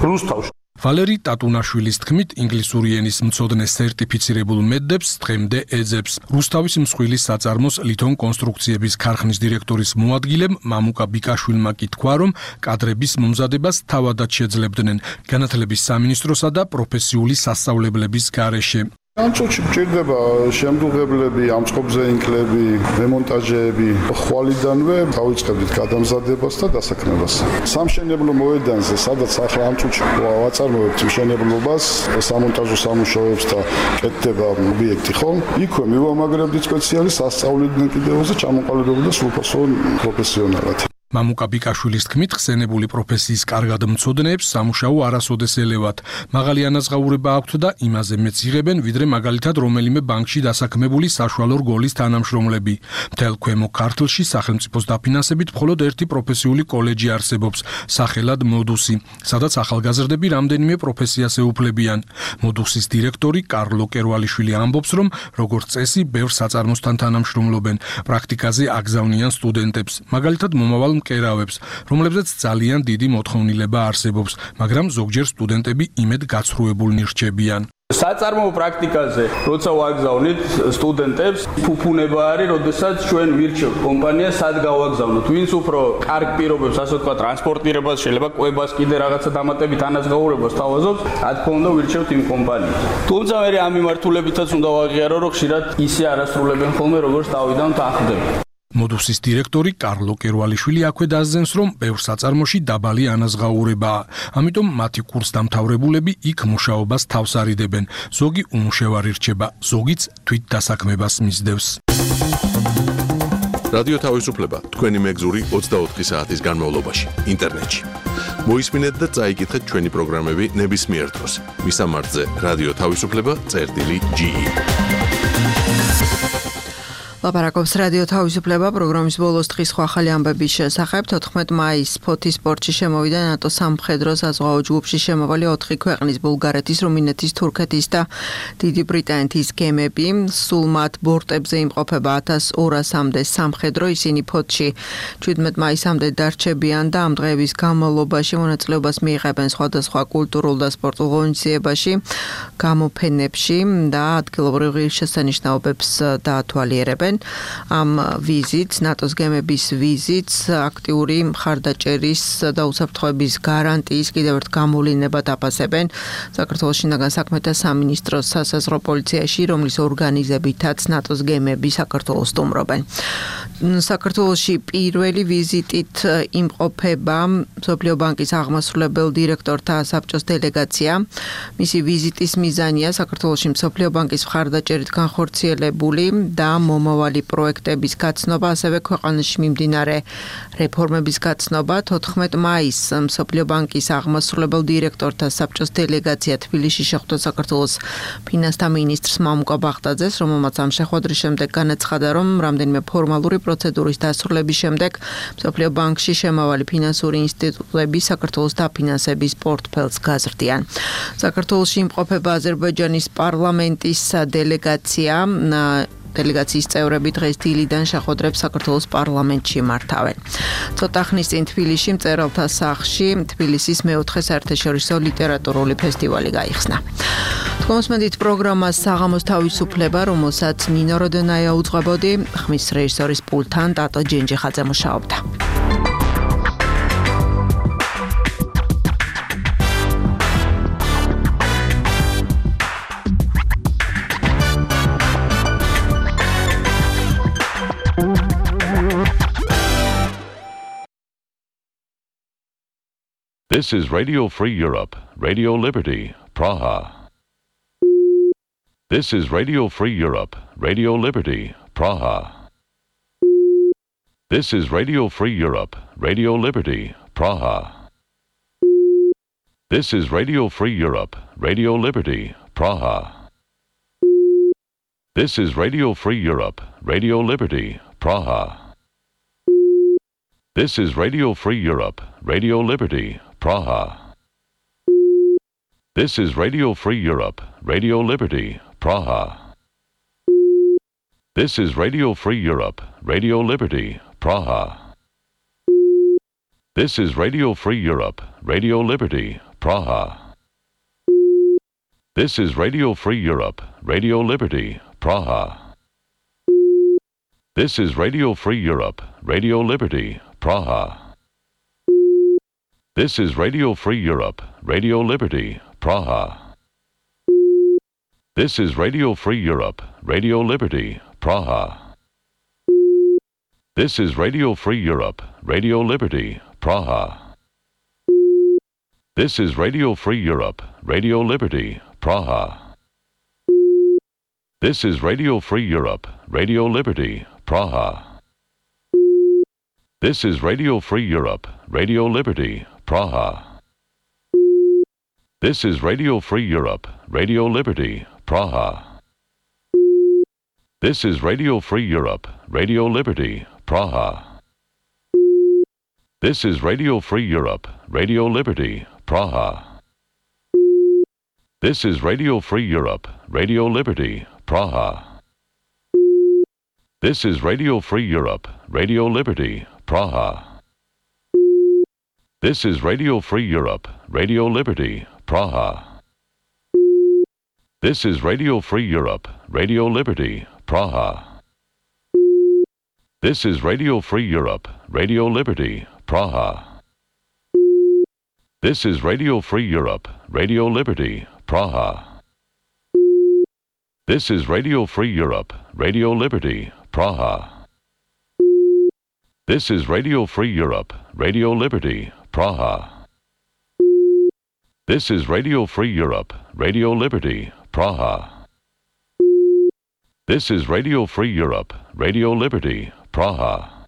რუსთავში. ვალერი ტატუნაშვილის თქმით, ინგლისური ენის მცოდნე სერტიფიცირებულ მედდებს დღემდე ეძებს. რუსთავის მსხვილის საწარმოს ლითონ კონსტრუქციების ქარხნის დირექტორის მოადგილემ მამუკა ბიკაშვილმა კი თქვა, რომ კადრების მომზადებას თავადაც შეძლებდნენ განათლების სამინისტროსა და პროფესიული სასწავლებლების გარეშე. ანჩოჩი მჭირდება შემდუღებლები, ამწყობზე ინკლები, დემონტაჟეები. ხვალიდანვე დავიწყებდით გადამზადებას და დასაქმებას. სამშენებლო მოედანზე, სადაც ახლა ანჩოჩი ვაწარმოებთ მშენებლობას, სამონტაჟო სამუშაოებს და კეთდება ობიექტი, ხო? იქვე მივამაგრებდით სპეციალისტს სასწავლებლად კიდევზე ჩამოყალიბებდა სრულფასო პროფესიონალად. მამუკა ბიკაშვილის თქმით, ხსენებული პროფესიის კარგად მცოდნეებს სამუშაო არასოდეს ელევათ. მაღალი ანაზღაურება აქვთ და იმაზე მეც იღებენ, ვიდრე მაგალითად რომელიმე ბანკში დასაქმებული საშუალო რგოლის თანამშრომლები. მთელ ქვემო ქართლში სახელმწიფოს დაფინანსებით მხოლოდ ერთი პროფესიული კოლეჯი არსებობს, სახელად მოდუსი, სადაც ახალგაზრდები რამდენიმე პროფესიას ეუფლებიან. მოდუსის დირექტორი კარლო კერვალიშვილი ამბობს, რომ როგორც წესი, ბევრ საწარმოსთან თანამშრომლობენ, პრაქტიკაზე აგზავნიან სტუდენტებს, მაგალითად მომავალ მკერავებს, რომლებზეც ძალიან დიდი მოთხოვნილება არსებობს, მაგრამ ზოგჯერ სტუდენტები იმედ გაცრუებულნი რჩებიან. საწარმოო პრაქტიკაზე, როცა ვაგზავნით სტუდენტებს, ფუფუნება არის, როდესაც ჩვენ ვირჩევთ კომპანიას, სად გავაგზავნოთ, ვინც უფრო კარგ პირობებს, ასე ვთქვათ, ტრანსპორტირებას, შეიძლება კვებას, კიდე რაღაცა დამატებით ანაზღაურებას თავაზობს, რა თქმა უნდა, ვირჩევთ იმ კომპანიას. თუმცა მე ამ მიმართულებითაც უნდა ვაღიარო, რომ ხშირად ისე არასრულებენ ხოლმე, როგორც თავიდან თანხმდება. მოდუსის დირექტორი კარლო კერვალიშვილი აქვე დასძენს, რომ ბევრ საწარმოში დაბალი ანაზღაურებაა, ამიტომ მათი კურსდამთავრებულები იქ მუშაობას თავს არიდებენ, ზოგი უმუშევარი რჩება, ზოგიც თვით დასაქმებას მისდევს. რადიო თავისუფლება თქვენი მეგზური 24 საათის განმავლობაში ინტერნეტში. მოისმინეთ და წაიკითხეთ ჩვენი პროგრამები ნებისმიერ დროს. მისამართზე რადიო თავისუფლება.ge ლაპარაკობს რადიო თავისუფლება პროგრამის ბოლოს დღის ახალი ამბების შესახებ. 14 მაისს ფოთის პორტში შემოვიდა ნატო სამხედრო საზღვაო ჯგუფში შემავალი 4 ქვეყნის ბულგარეთის, რუმინეთის, თურქეთის და დიდი ბრიტანეთის გემები. სულ მათ ბორტებზე იმყოფება 1200-მდე სამხედრო, ისინი ფოთში 17 მაისამდე დარჩებიან და ამ დღეების განმავლობაში მონაწილეობას მიიღებენ სხვადასხვა კულტურულ და სპორტულ ღონისძიებაში, გამოფენებში და ადგილობრივ ღირსშესანიშნაობებს დაათვალიერებენ. ამ ვიზიტს, ნატოს გემების ვიზიტს, აქტიური მხარდაჭერის და უსაფრთხოების გარანტიის კიდევ ერთ გამოვლინებად აფასებენ საქართველოს შინაგან საქმეთა სამინისტროს სასაზღვრო პოლიციაში, რომლის ორგანიზებითაც ნატოს გემები საქართველოს სტუმრობენ. საქართველოში პირველი ვიზიტით იმყოფება მსოფლიო ბანკის აღმასრულებელ დირექტორთა საბჭოს დელეგაცია. მისი ვიზიტის მიზანია საქართველოში მსოფლიო ბანკის მხარდაჭერით განხორციელებული და მომავალ მრავალი პროექტების გაცნობა, ასევე ქვეყანაში მიმდინარე რეფორმების გაცნობა. 14 მაისს მსოფლიო ბანკის აღმასრულებელ დირექტორთა საბჭოს დელეგაცია თბილისში შეხვდა საქართველოს ფინანსთა მინისტრს მამუკა ბაღდაძეს, რომელმაც ამ შეხვედრის შემდეგ განაცხადა, რომ რამდენიმე ფორმალური პროცედურის დასრულების შემდეგ მსოფლიო ბანკში შემავალი ფინანსური ინსტიტუტები საქართველოს დაფინანსების პორტფელს გაზრდიან. საქართველოში იმყოფება აზერბაიჯანის პარლამენტის დელეგაციის წევრები დღეს დილიდან შეხვედრებს საქართველოს პარლამენტში მართავენ. ცოტა ხნის წინ თბილისში მწერალთა სახლში თბილისის მეოთხე საერთაშორისო ლიტერატურული ფესტივალი გაიხსნა. თქოსმედით პროგრამა საღამოს თავისუფლება, რომელსაც ნინო როდენაია უძღვებოდი, ხმის რეჟისორის პულტთან ტატო ჯენჯიხაძე მუშაობდა. This is Radio Free Europe, Radio Liberty, Praha. This is Radio Free Europe, Radio Liberty, Praha. This is Radio Free Europe, Radio Liberty, Praha. This is Radio Free Europe, Radio Liberty, Praha. This is Radio Free Europe, Radio Liberty, Praha. This is Radio Free Europe, Radio Liberty, Praha. This is Radio Free Europe, Radio Liberty, Praha. This is Radio Free Europe, Radio Liberty, Praha. This is Radio Free Europe, Radio Liberty, Praha. This is Radio Free Europe, Radio Liberty, Praha. This is Radio Free Europe, Radio Liberty, Praha. This is Radio Free Europe, Radio Liberty, Praha. This is Radio Free Europe, Radio Liberty, Praha. This is Radio Free Europe, Radio Liberty, Praha. This is Radio Free Europe, Radio Liberty, Praha. This is Radio Free Europe, Radio Liberty, Praha. This is Radio Free Europe, Radio Liberty, Praha. This is Radio Free Europe, Radio Liberty, Praha. This is Radio Free Europe, Radio Liberty, Praha. This is Radio Free Europe, Radio Liberty, Praha. This is Radio Free Europe, Radio Liberty, Praha. This is Radio Free Europe, Radio Liberty, Praha. This is Radio Free Europe, Radio Liberty, Praha. This is Radio Free Europe, Radio Liberty, Praha. This is Radio Free Europe, Radio Liberty, Praha. This is Radio Free Europe, Radio Liberty, Praha. This is Radio Free Europe, Radio Liberty, Praha. This is Radio Free Europe, Radio Liberty, Praha. This is Radio Free Europe, Radio Liberty, Praha. This is Radio Free Europe, Radio Liberty, Praha.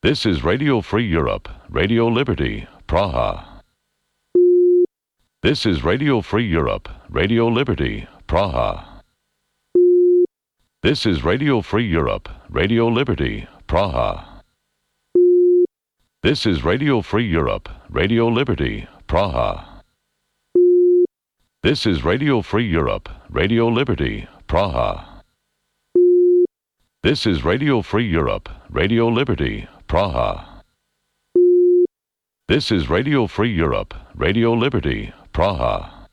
This is Radio Free Europe, Radio Liberty, Praha. This is Radio Free Europe, Radio Liberty, Praha. This is Radio Free Europe, Radio Liberty, Praha. This is Radio Free Europe, Radio Liberty, Praha. This is Radio Free Europe, Radio Liberty, Praha. This is Radio Free Europe, Radio Liberty, Praha. This is Radio Free Europe, Radio Liberty, Praha. This is Radio Free Europe, Radio Liberty, Praha.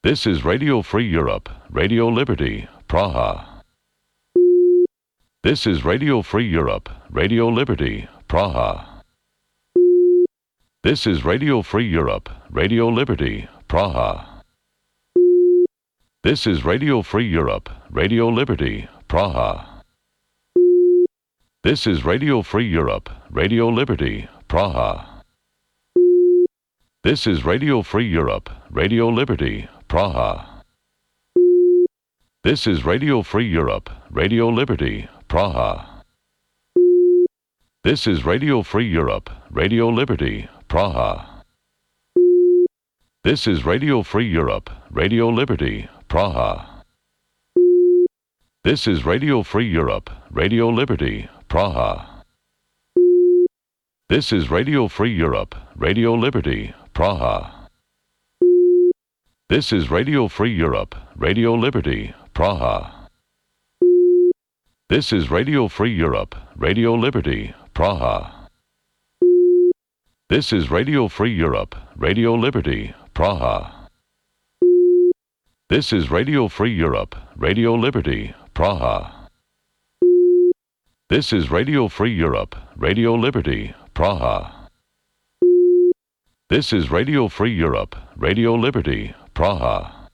This is Radio Free Europe, Radio Liberty, Praha. This is Radio Free Europe, Radio Liberty, Praha. This is Radio Free Europe, Radio Liberty, Praha. This is Radio Free Europe, Radio Liberty, Praha. This is Radio Free Europe, Radio Liberty, Praha. This is Radio Free Europe, Radio Liberty, Praha. This is Radio Free Europe, Radio Liberty, Praha. This is Radio Free Europe, Radio Liberty, Praha. This is Radio Free Europe, Radio Liberty, Praha. This is Radio Free Europe, Radio Liberty, Praha. This is Radio Free Europe, Radio Liberty, Praha. This is Radio Free Europe, Radio Liberty, Praha. This is Radio Free Europe, Radio Liberty, Praha. This is Radio Free Europe, Radio Liberty, Praha. This is Radio Free Europe, Radio Liberty, Praha. This is Radio Free Europe, Radio Liberty, Praha. This is Radio Free Europe, Radio Liberty, Praha.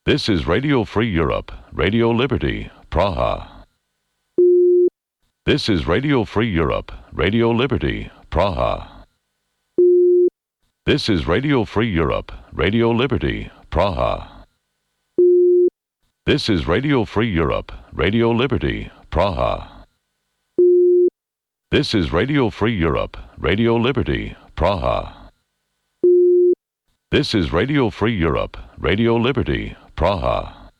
This is Radio Free Europe, Radio Liberty, Praha. This is Radio Free Europe, Radio Liberty, Praha. This is Radio Free Europe, Radio Liberty, Praha. This is Radio Free Europe, Radio Liberty, Praha. This is Radio Free Europe, Radio Liberty, Praha. This is Radio Free Europe, Radio Liberty, Praha.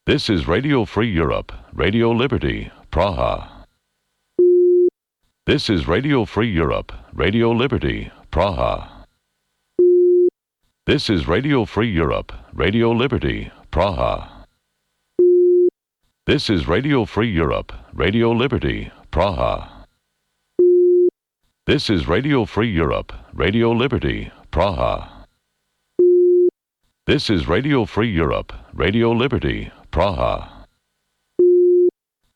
This is Radio Free Europe, Radio Liberty, Praha. This is Radio Free Europe, Radio Liberty, Praha. This is Radio Free Europe, Radio Liberty, Praha. This is Radio Free Europe, Radio Liberty, Praha. This is Radio Free Europe, Radio Liberty, Praha. This is Radio Free Europe, Radio Liberty, Praha.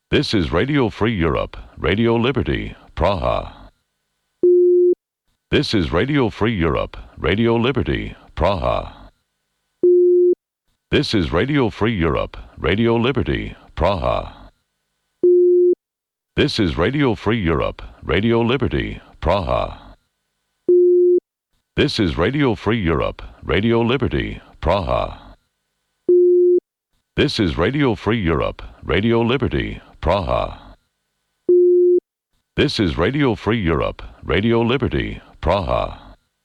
This is Radio Free Europe, Radio Liberty, Praha. This is Radio Free Europe, Radio Liberty, Praha. This is Radio Free Europe, Radio Liberty, Praha. This is Radio Free Europe, Radio Liberty, Praha. This is Radio Free Europe, Radio Liberty, Praha. This is Radio Free Europe, Radio Liberty, Praha. This is Radio Free Europe, Radio Liberty, Praha.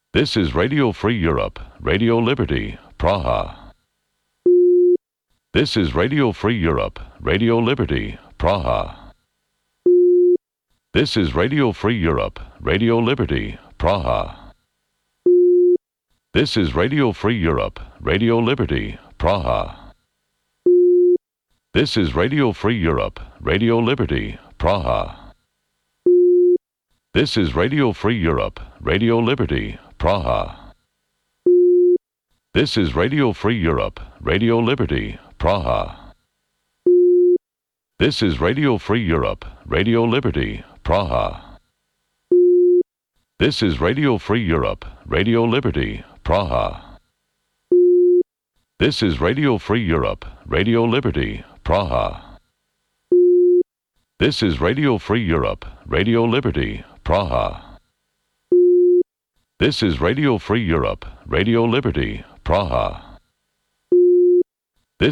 This is Radio Free Europe, Radio Liberty, Praha. This is Radio Free Europe, Radio Liberty, Praha. This is Radio Free Europe, Radio Liberty, Praha. This is Radio Free Europe, Radio Liberty, Praha. This is Radio Free Europe, Radio Liberty, Praha. This is Radio Free Europe, Radio Liberty, Praha. This is Radio Free Europe, Radio Liberty, Praha. This is Radio Free Europe, Radio Liberty, Praha. This is Radio Free Europe, Radio Liberty, Praha. This is Radio Free Europe, Radio Liberty, Praha. This is Radio Free Europe, Radio Liberty, Praha. This is Radio Free Europe, Radio Liberty, Praha.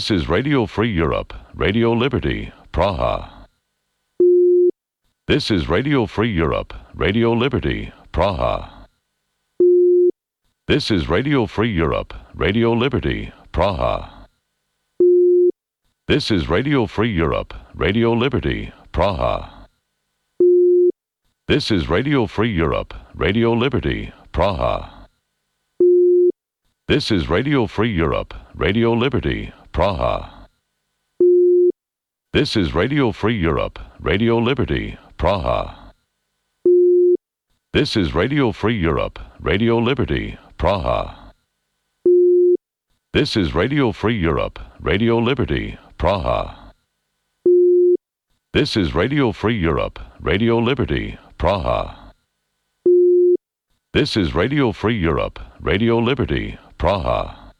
This is Radio Free Europe, Radio Liberty, Praha. This is Radio Free Europe, Radio Liberty, Praha. This is Radio Free Europe, Radio Liberty, Praha. This is Radio Free Europe, Radio Liberty, Praha. This is Radio Free Europe, Radio Liberty, Praha. This is Radio Free Europe, Radio Liberty, Praha. This is Radio Free Europe, Radio Liberty, Praha. This is Radio Free Europe, Radio Liberty, Praha. This is Radio Free Europe, Radio Liberty, Praha. This is Radio Free Europe, Radio Liberty, Praha. This is Radio Free Europe, Radio Liberty, Praha.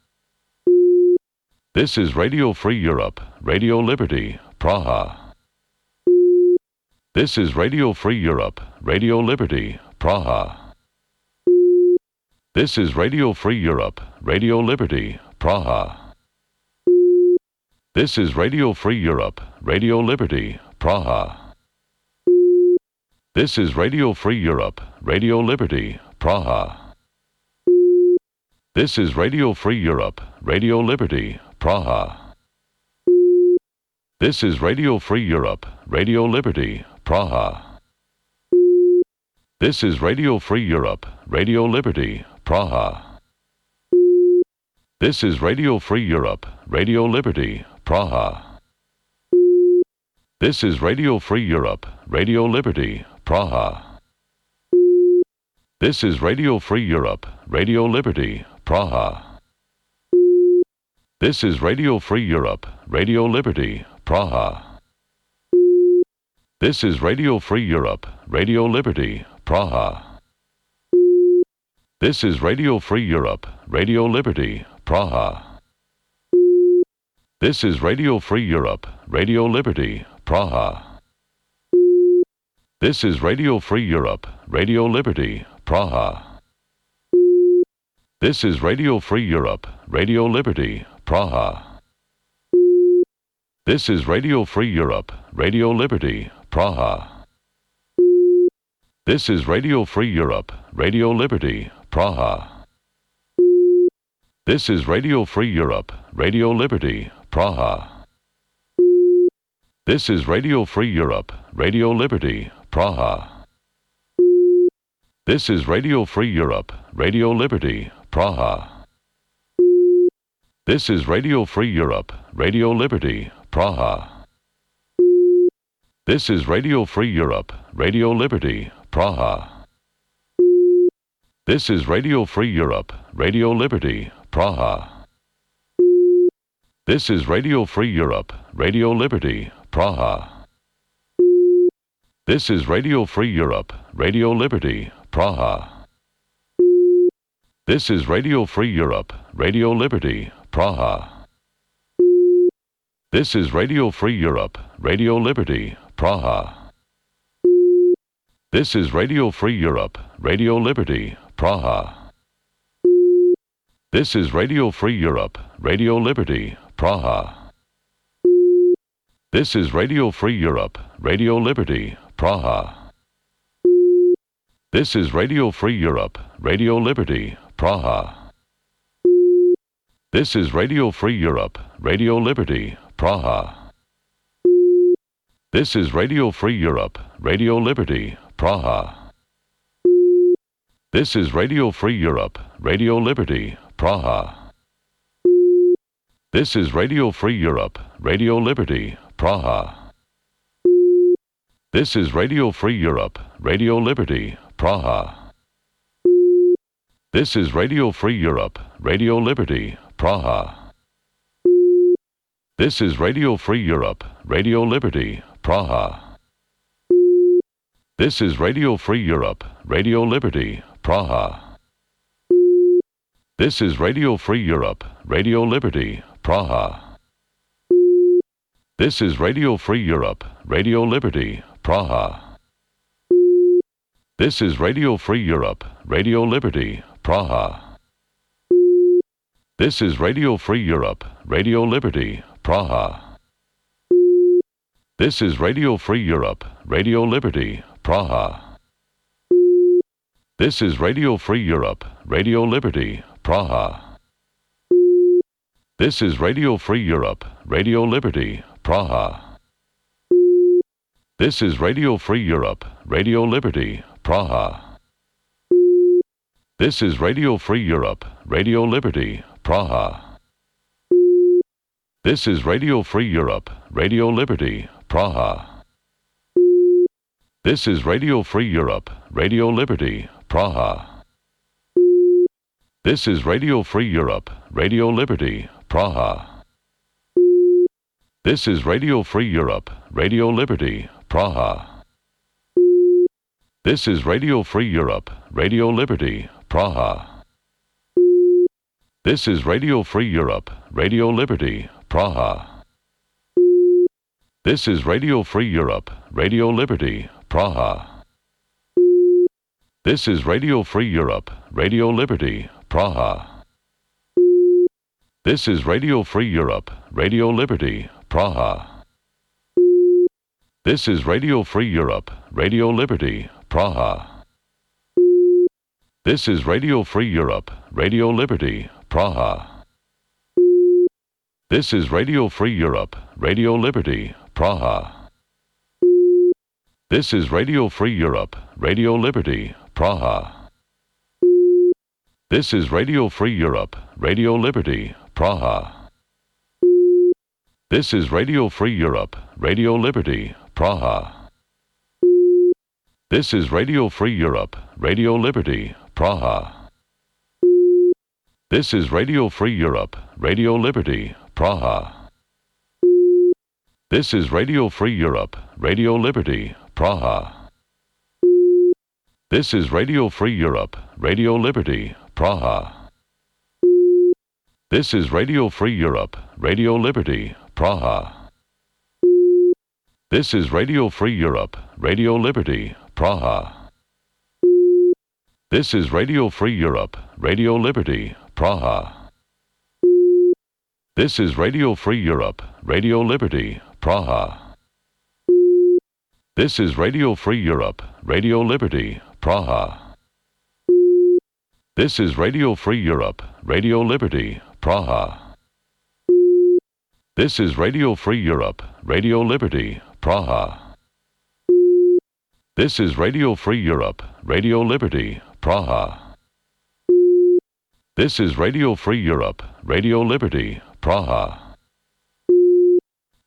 This is Radio Free Europe, Radio Liberty, Praha. This is Radio Free Europe, Radio Liberty, Praha. This is Radio Free Europe, Radio Liberty, Praha. This is Radio Free Europe, Radio Liberty, Praha. This is Radio Free Europe, Radio Liberty, Praha. This is Radio Free Europe, Radio Liberty, Praha. This is Radio Free Europe, Radio Liberty, Praha. This is Radio Free Europe, Radio Liberty, Praha. This is Radio Free Europe, Radio Liberty, Praha. This is Radio Free Europe, Radio Liberty, Praha. This is Radio Free Europe, Radio Liberty, Praha. This is Radio Free Europe, Radio Liberty, Praha. This is Radio Free Europe, Radio Liberty, Praha. This is Radio Free Europe, Radio Liberty, Praha. This is Radio Free Europe, Radio Liberty, Praha. This is Radio Free Europe, Radio Liberty, Praha. This is Radio Free Europe, Radio Liberty, Praha. This is Radio Free Europe, Radio Liberty, Praha. This is Radio Free Europe, Radio Liberty, Praha. This is Radio Free Europe, Radio Liberty, Praha. This is Radio Free Europe, Radio Liberty, Praha. This is Radio Free Europe, Radio Liberty, Praha. This is Radio Free Europe, Radio Liberty, Praha. This is Radio Free Europe, Radio Liberty, Praha. This is Radio Free Europe, Radio Liberty, Praha. This is Radio Free Europe, Radio Liberty, Praha. This is Radio Free Europe, Radio Liberty, Praha. This is Radio Free Europe, Radio Liberty, Praha. This is Radio Free Europe, Radio Liberty, Praha. This is Radio Free Europe, Radio Liberty, Praha. This is Radio Free Europe, Radio Liberty, Praha. This is Radio Free Europe, Radio Liberty, Praha. This is Radio Free Europe, Radio Liberty, Praha. This is Radio Free Europe, Radio Liberty, Praha. This is Radio Free Europe, Radio Liberty, Praha. This is Radio Free Europe, Radio Liberty, Praha. This is Radio Free Europe, Radio Liberty, Praha. This is Radio Free Europe, Radio Liberty, Praha. This is Radio Free Europe, Radio Liberty, Praha. This is Radio Free Europe, Radio Liberty, Praha. This is Radio Free Europe, Radio Liberty, Praha. This is Radio Free Europe, Radio Liberty, Praha. This is Radio Free Europe, Radio Liberty, Praha. This is Radio Free Europe, Radio Liberty, Praha. This is Radio Free Europe, Radio Liberty, Praha. This is Radio Free Europe, Radio Liberty, Praha. This is Radio Free Europe, Radio Liberty, Praha. This is Radio Free Europe, Radio Liberty, Praha. This is Radio Free Europe, Radio Liberty, Praha. This is Radio Free Europe, Radio Liberty, Praha. This is Radio Free Europe, Radio Liberty, Praha. This is Radio Free Europe, Radio Liberty, Praha. This is Radio Free Europe, Radio Liberty, Praha. This is Radio Free Europe, Radio Liberty, Praha. This is Radio Free Europe, Radio Liberty, Praha. This is Radio Free Europe, Radio Liberty, Praha. This is Radio Free Europe, Radio Liberty, Praha. This is Radio Free Europe, Radio Liberty, Praha. This is Radio Free Europe, Radio Liberty, Praha. This is Radio Free Europe, Radio Liberty, Praha. This is Radio Free Europe, Radio Liberty, Praha. This is Radio Free Europe, Radio Liberty, Praha. This is Radio Free Europe, Radio Liberty, Praha. This is Radio Free Europe, Radio Liberty, Praha. This is Radio Free Europe, Radio Liberty, Praha. This is Radio Free Europe, Radio Liberty, Praha. This is Radio Free Europe, Radio Liberty, Praha. This is Radio Free Europe, Radio Liberty, Praha. This is Radio Free Europe, Radio Liberty, Praha. This is Radio Free Europe, Radio Liberty, Praha. This is Radio Free Europe, Radio Liberty, Praha. This is Radio Free Europe, Radio Liberty, Praha. This is Radio Free Europe, Radio Liberty, Praha. This is Radio Free Europe, Radio Liberty, Praha. This is Radio Free Europe, Radio Liberty, Praha. This is Radio Free Europe, Radio Liberty, Praha. This is Radio Free Europe, Radio Liberty, Praha. This is Radio Free Europe, Radio Liberty, Praha.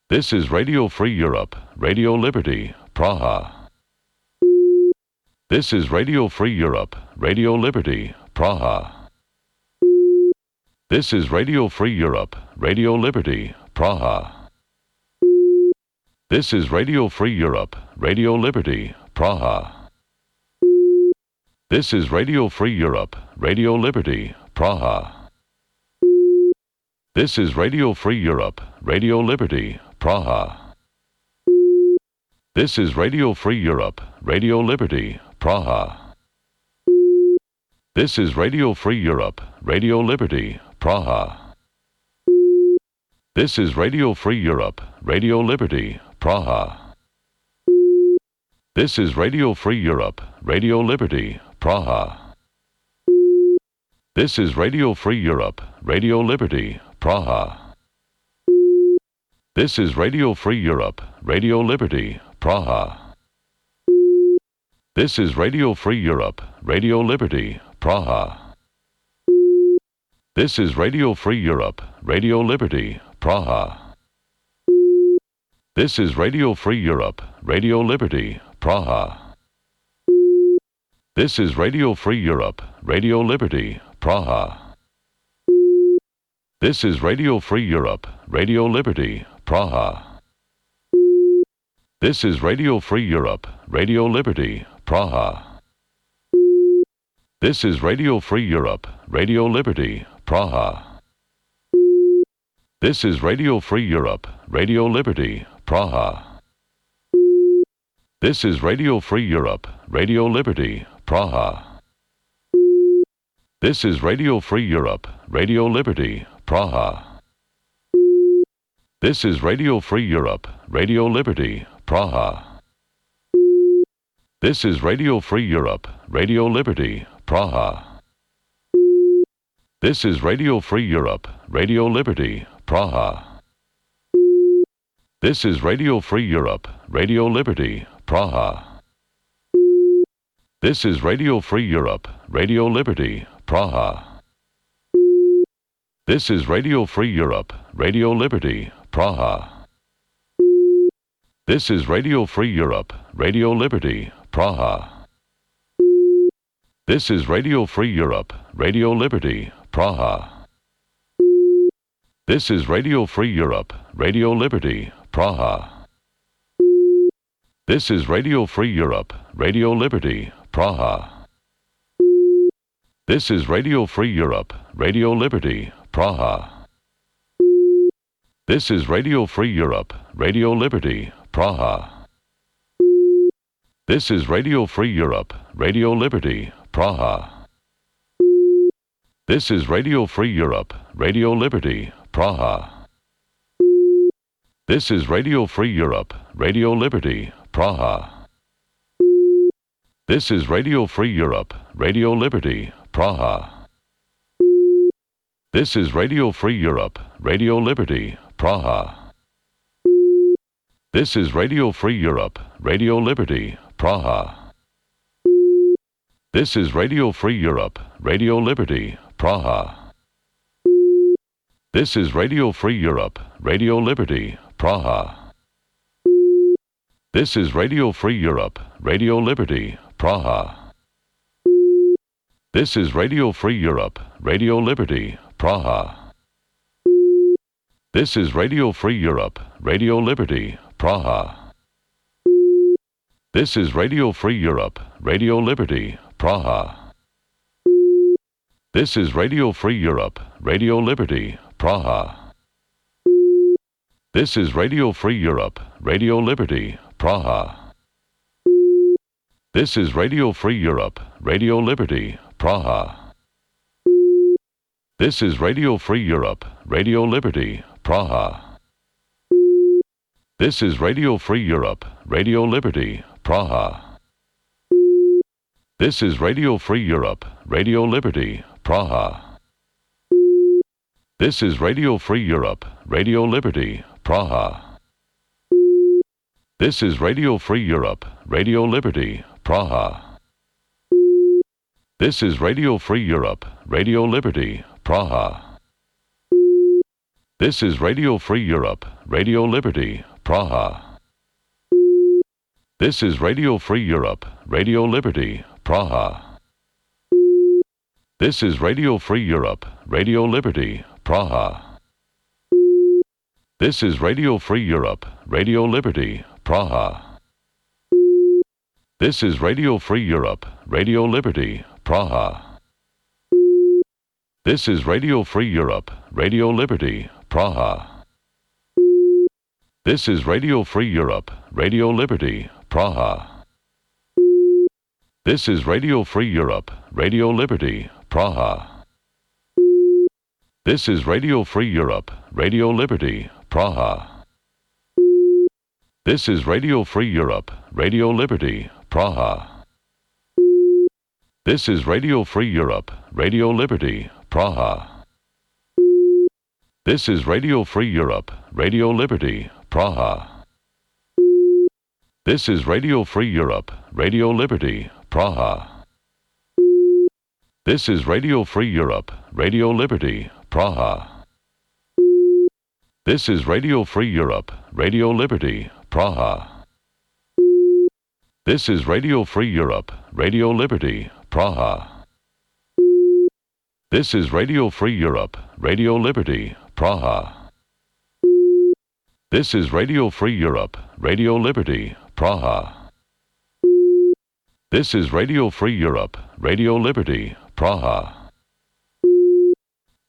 This is Radio Free Europe, Radio Liberty, Praha. This is Radio Free Europe, Radio Liberty, Praha. This is Radio Free Europe, Radio Liberty, Praha. This is Radio Free Europe, Radio Liberty, Praha. This is Radio Free Europe, Radio Liberty, Praha. This is Radio Free Europe, Radio Liberty, Praha. This is Radio Free Europe, Radio Liberty, Praha. This is Radio Free Europe, Radio Liberty, Praha. This is Radio Free Europe, Radio Liberty, Praha. This is Radio Free Europe, Radio Liberty, Praha. This is Radio Free Europe, Radio Liberty, Praha. This is Radio Free Europe, Radio Liberty, Praha. This is Radio Free Europe, Radio Liberty, Praha. This is Radio Free Europe, Radio Liberty, Praha. This is Radio Free Europe, Radio Liberty, Praha. This is Radio Free Europe, Radio Liberty, Praha. This is Radio Free Europe, Radio Liberty, Praha. This is Radio Free Europe, Radio Liberty, Praha. This is Radio Free Europe, Radio Liberty, Praha. This is Radio Free Europe, Radio Liberty, Praha. This is Radio Free Europe, Radio Liberty, Praha. This is Radio Free Europe, Radio Liberty, Praha. This is Radio Free Europe, Radio Liberty, Praha. This is Radio Free Europe, Radio Liberty, Praha. This is Radio Free Europe, Radio Liberty, Praha. This is Radio Free Europe, Radio Liberty, Praha. This is Radio Free Europe, Radio Liberty, Praha. This is Radio Free Europe, Radio Liberty, Praha. This is Radio Free Europe, Radio Liberty, Praha. This is Radio Free Europe, Radio Liberty, Praha. This is Radio Free Europe, Radio Liberty, Praha. This is Radio Free Europe, Radio Liberty, Praha. This is Radio Free Europe, Radio Liberty, Praha. This is Radio Free Europe, Radio Liberty, Praha. This is Radio Free Europe, Radio Liberty, Praha. This is Radio Free Europe, Radio Liberty, Praha. This is Radio Free Europe, Radio Liberty, Praha. This is Radio Free Europe, Radio Liberty, Praha. This is Radio Free Europe, Radio Liberty, Praha. This is Radio Free Europe, Radio Liberty, Praha. This is Radio Free Europe, Radio Liberty, Praha. This is Radio Free Europe, Radio Liberty, Praha. This is Radio Free Europe, Radio Liberty, Praha. This is Radio Free Europe, Radio Liberty, Praha. This is Radio Free Europe, Radio Liberty, Praha. This is Radio Free Europe, Radio Liberty, Praha. This is Radio Free Europe, Radio Liberty, Praha. This is Radio Free Europe, Radio Liberty, Praha. This is Radio Free Europe, Radio Liberty, Praha. This is Radio Free Europe, Radio Liberty, Praha. This is Radio Free Europe, Radio Liberty, Praha. This is Radio Free Europe, Radio Liberty, Praha. This is Radio Free Europe, Radio Liberty, Praha. This is Radio Free Europe, Radio Liberty, Praha. This is Radio Free Europe, Radio Liberty, Praha. This is Radio Free Europe, Radio Liberty, Praha. This is Radio Free Europe, Radio Liberty, Praha. This is Radio Free Europe, Radio Liberty, Praha. This is Radio Free Europe, Radio Liberty, Praha. This is Radio Free Europe, Radio Liberty, Praha. This is Radio Free Europe, Radio Liberty, Praha. This is Radio Free Europe, Radio Liberty, Praha. This is Radio Free Europe, Radio Liberty, Praha. This is Radio Free Europe, Radio Liberty, Praha. This is Radio Free Europe, Radio Liberty, Praha. This is Radio Free Europe, Radio Liberty, Praha. This is Radio Free Europe, Radio Liberty, Praha. This is Radio Free Europe, Radio Liberty, Praha. This is Radio Free Europe, Radio Liberty, Praha. This is Radio Free Europe, Radio Liberty, Praha. This is Radio Free Europe, Radio Liberty, Praha. This is Radio Free Europe, Radio Liberty, Praha. This is Radio Free Europe, Radio Liberty, Praha. This is Radio Free Europe, Radio Liberty, Praha.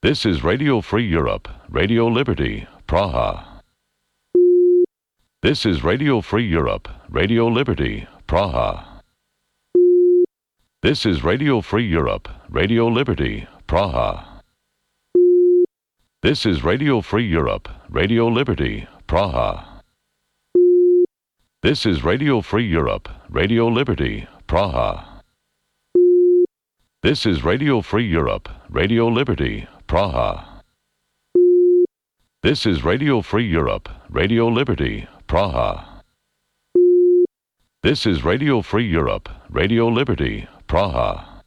This is Radio Free Europe, Radio Liberty, Praha. This is Radio Free Europe, Radio Liberty, Praha. This is Radio Free Europe, Radio Liberty, Praha. This is Radio Free Europe, Radio Liberty, Praha. This is Radio Free Europe, Radio Liberty, Praha. This is Radio Free Europe, Radio Liberty, Praha. This is Radio Free Europe, Radio Liberty, Praha. This is Radio Free Europe, Radio Liberty, Praha.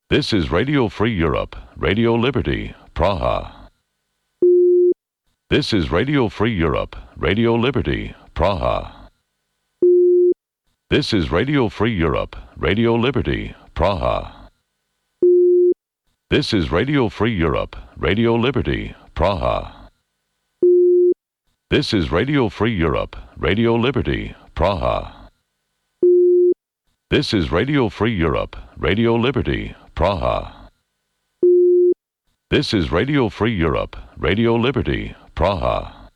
This is Radio Free Europe, Radio Liberty, Praha. This is Radio Free Europe, Radio Liberty, Praha. This is Radio Free Europe, Radio Liberty, Praha. This is Radio Free Europe, Radio Liberty, Praha. This is Radio Free Europe, Radio Liberty, Praha. This is Radio Free Europe, Radio Liberty, Praha. This is Radio Free Europe, Radio Liberty, Praha.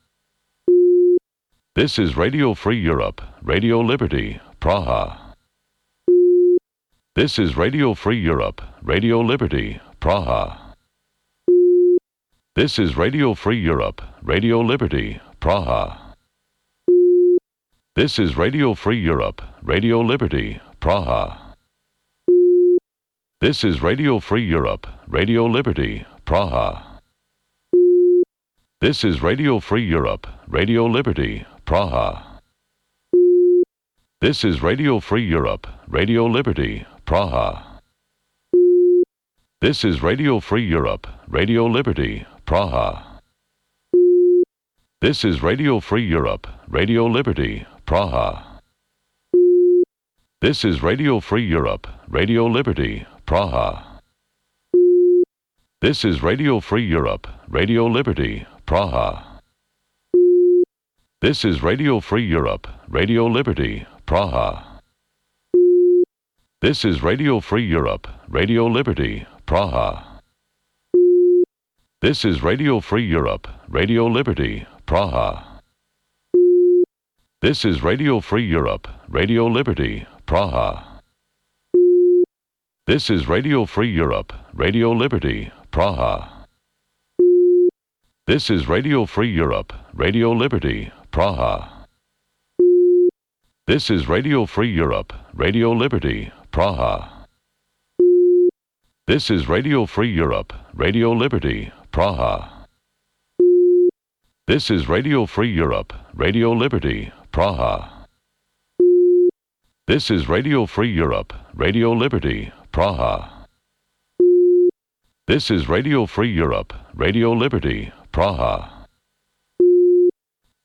This is Radio Free Europe, Radio Liberty, Praha. This is Radio Free Europe, Radio Liberty, Praha. This is Radio Free Europe, Radio Liberty, Praha. This is Radio Free Europe, Radio Liberty, Praha. This is Radio Free Europe, Radio Liberty, Praha. This is Radio Free Europe, Radio Liberty, Praha. This is Radio Free Europe, Radio Liberty, Praha. This is Radio Free Europe, Radio Liberty, Praha. This is Radio Free Europe, Radio Liberty, Praha. This is Radio Free Europe, Radio Liberty, Praha. This is Radio Free Europe, Radio Liberty, Praha. This is Radio Free Europe, Radio Liberty, Praha. This is Radio Free Europe, Radio Liberty, Praha. This is Radio Free Europe, Radio Liberty, Praha. This is Radio Free Europe, Radio Liberty, Praha. This is Radio Free Europe, Radio Liberty, Praha. This is Radio Free Europe, Radio Liberty, Praha. This is Radio Free Europe, Radio Liberty, Praha. This is Radio Free Europe, Radio Liberty, Praha. This is Radio Free Europe, Radio Liberty, Praha. This is Radio Free Europe, Radio Liberty, Praha. This is Radio Free Europe, Radio Liberty, Praha.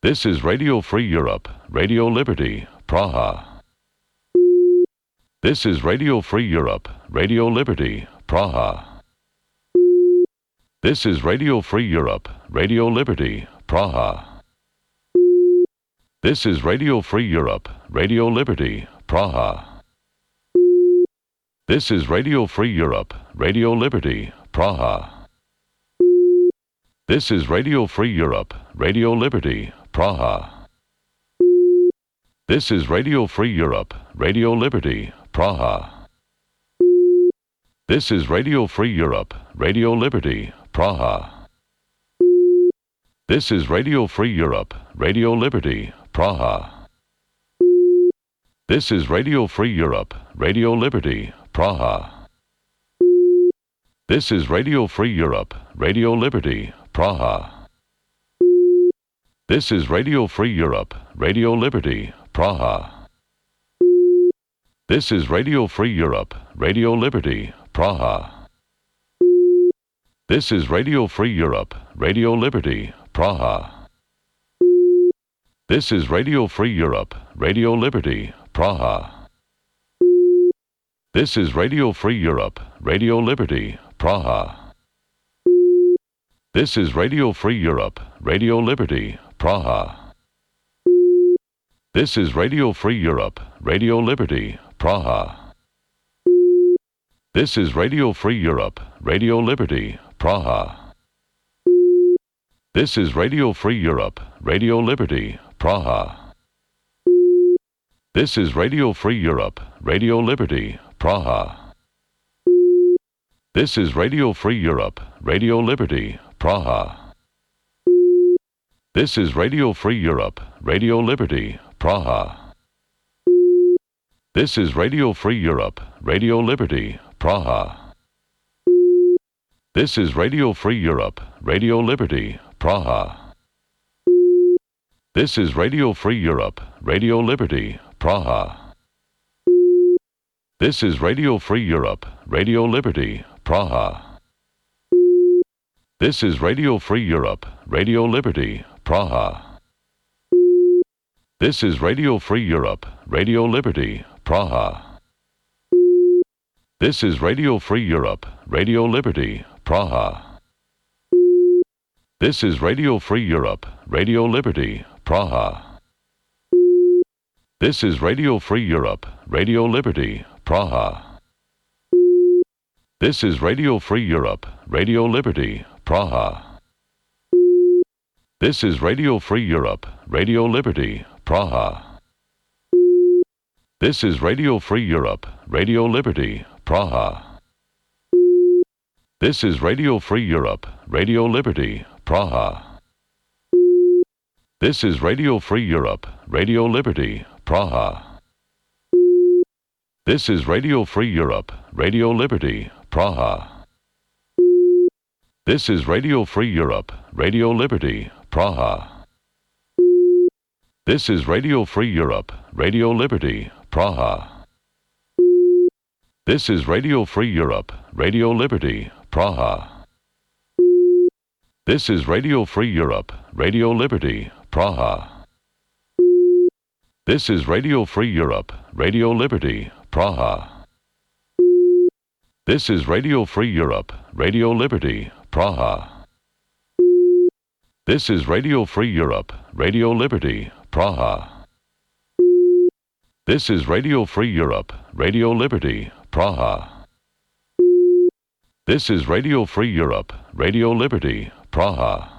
This is Radio Free Europe, Radio Liberty, Praha. This is Radio Free Europe, Radio Liberty, Praha. This is Radio Free Europe, Radio Liberty, Praha. This is Radio Free Europe, Radio Liberty, Praha. This is Radio Free Europe, Radio Liberty, Praha. This is Radio Free Europe, Radio Liberty, Praha. This is Radio Free Europe, Radio Liberty, Praha. This is Radio Free Europe, Radio Liberty, Praha. This is Radio Free Europe, Radio Liberty, Praha. This is Radio Free Europe, Radio Liberty, Praha. This is Radio Free Europe, Radio Liberty, Praha. This is Radio Free Europe, Radio Liberty, Praha. This is Radio Free Europe, Radio Liberty, Praha. This is Radio Free Europe, Radio Liberty, Praha. This is Radio Free Europe, Radio Liberty, Praha. This is Radio Free Europe, Radio Liberty, Praha. This is Radio Free Europe, Radio Liberty, Praha. This is Radio Free Europe, Radio Liberty, Praha. This is Radio Free Europe, Radio Liberty, Praha. This is Radio Free Europe, Radio Liberty, Praha. This is Radio Free Europe, Radio Liberty, Praha. This is Radio Free Europe, Radio Liberty, Praha. This is Radio Free Europe, Radio Liberty, Praha. This is Radio Free Europe, Radio Liberty, Praha. This is Radio Free Europe, Radio Liberty, Praha. This is Radio Free Europe, Radio Liberty, Praha. This is Radio Free Europe, Radio Liberty, Praha. This is Radio Free Europe, Radio Liberty, Praha. This is Radio Free Europe, Radio Liberty, Praha. This is Radio Free Europe, Radio Liberty, Praha. This is Radio Free Europe, Radio Liberty, Praha. This is Radio Free Europe, Radio Liberty, Praha. This is Radio Free Europe, Radio Liberty, Praha. This is Radio Free Europe, Radio Liberty, Praha. This is Radio Free Europe, Radio Liberty, Praha. This is Radio Free Europe, Radio Liberty, Praha. This is Radio Free Europe, Radio Liberty, Praha. This is Radio Free Europe, Radio Liberty, Praha. This is Radio Free Europe, Radio Liberty, Praha. This is Radio Free Europe, Radio Liberty, Praha. This is Radio Free Europe, Radio Liberty, Praha. This is Radio Free Europe, Radio Liberty, Praha. This is Radio Free Europe, Radio Liberty, Praha. This is Radio Free Europe, Radio Liberty, Praha. This is Radio Free Europe, Radio Liberty, Praha. This is Radio Free Europe, Radio Liberty, Praha. This is Radio Free Europe, Radio Liberty, Praha.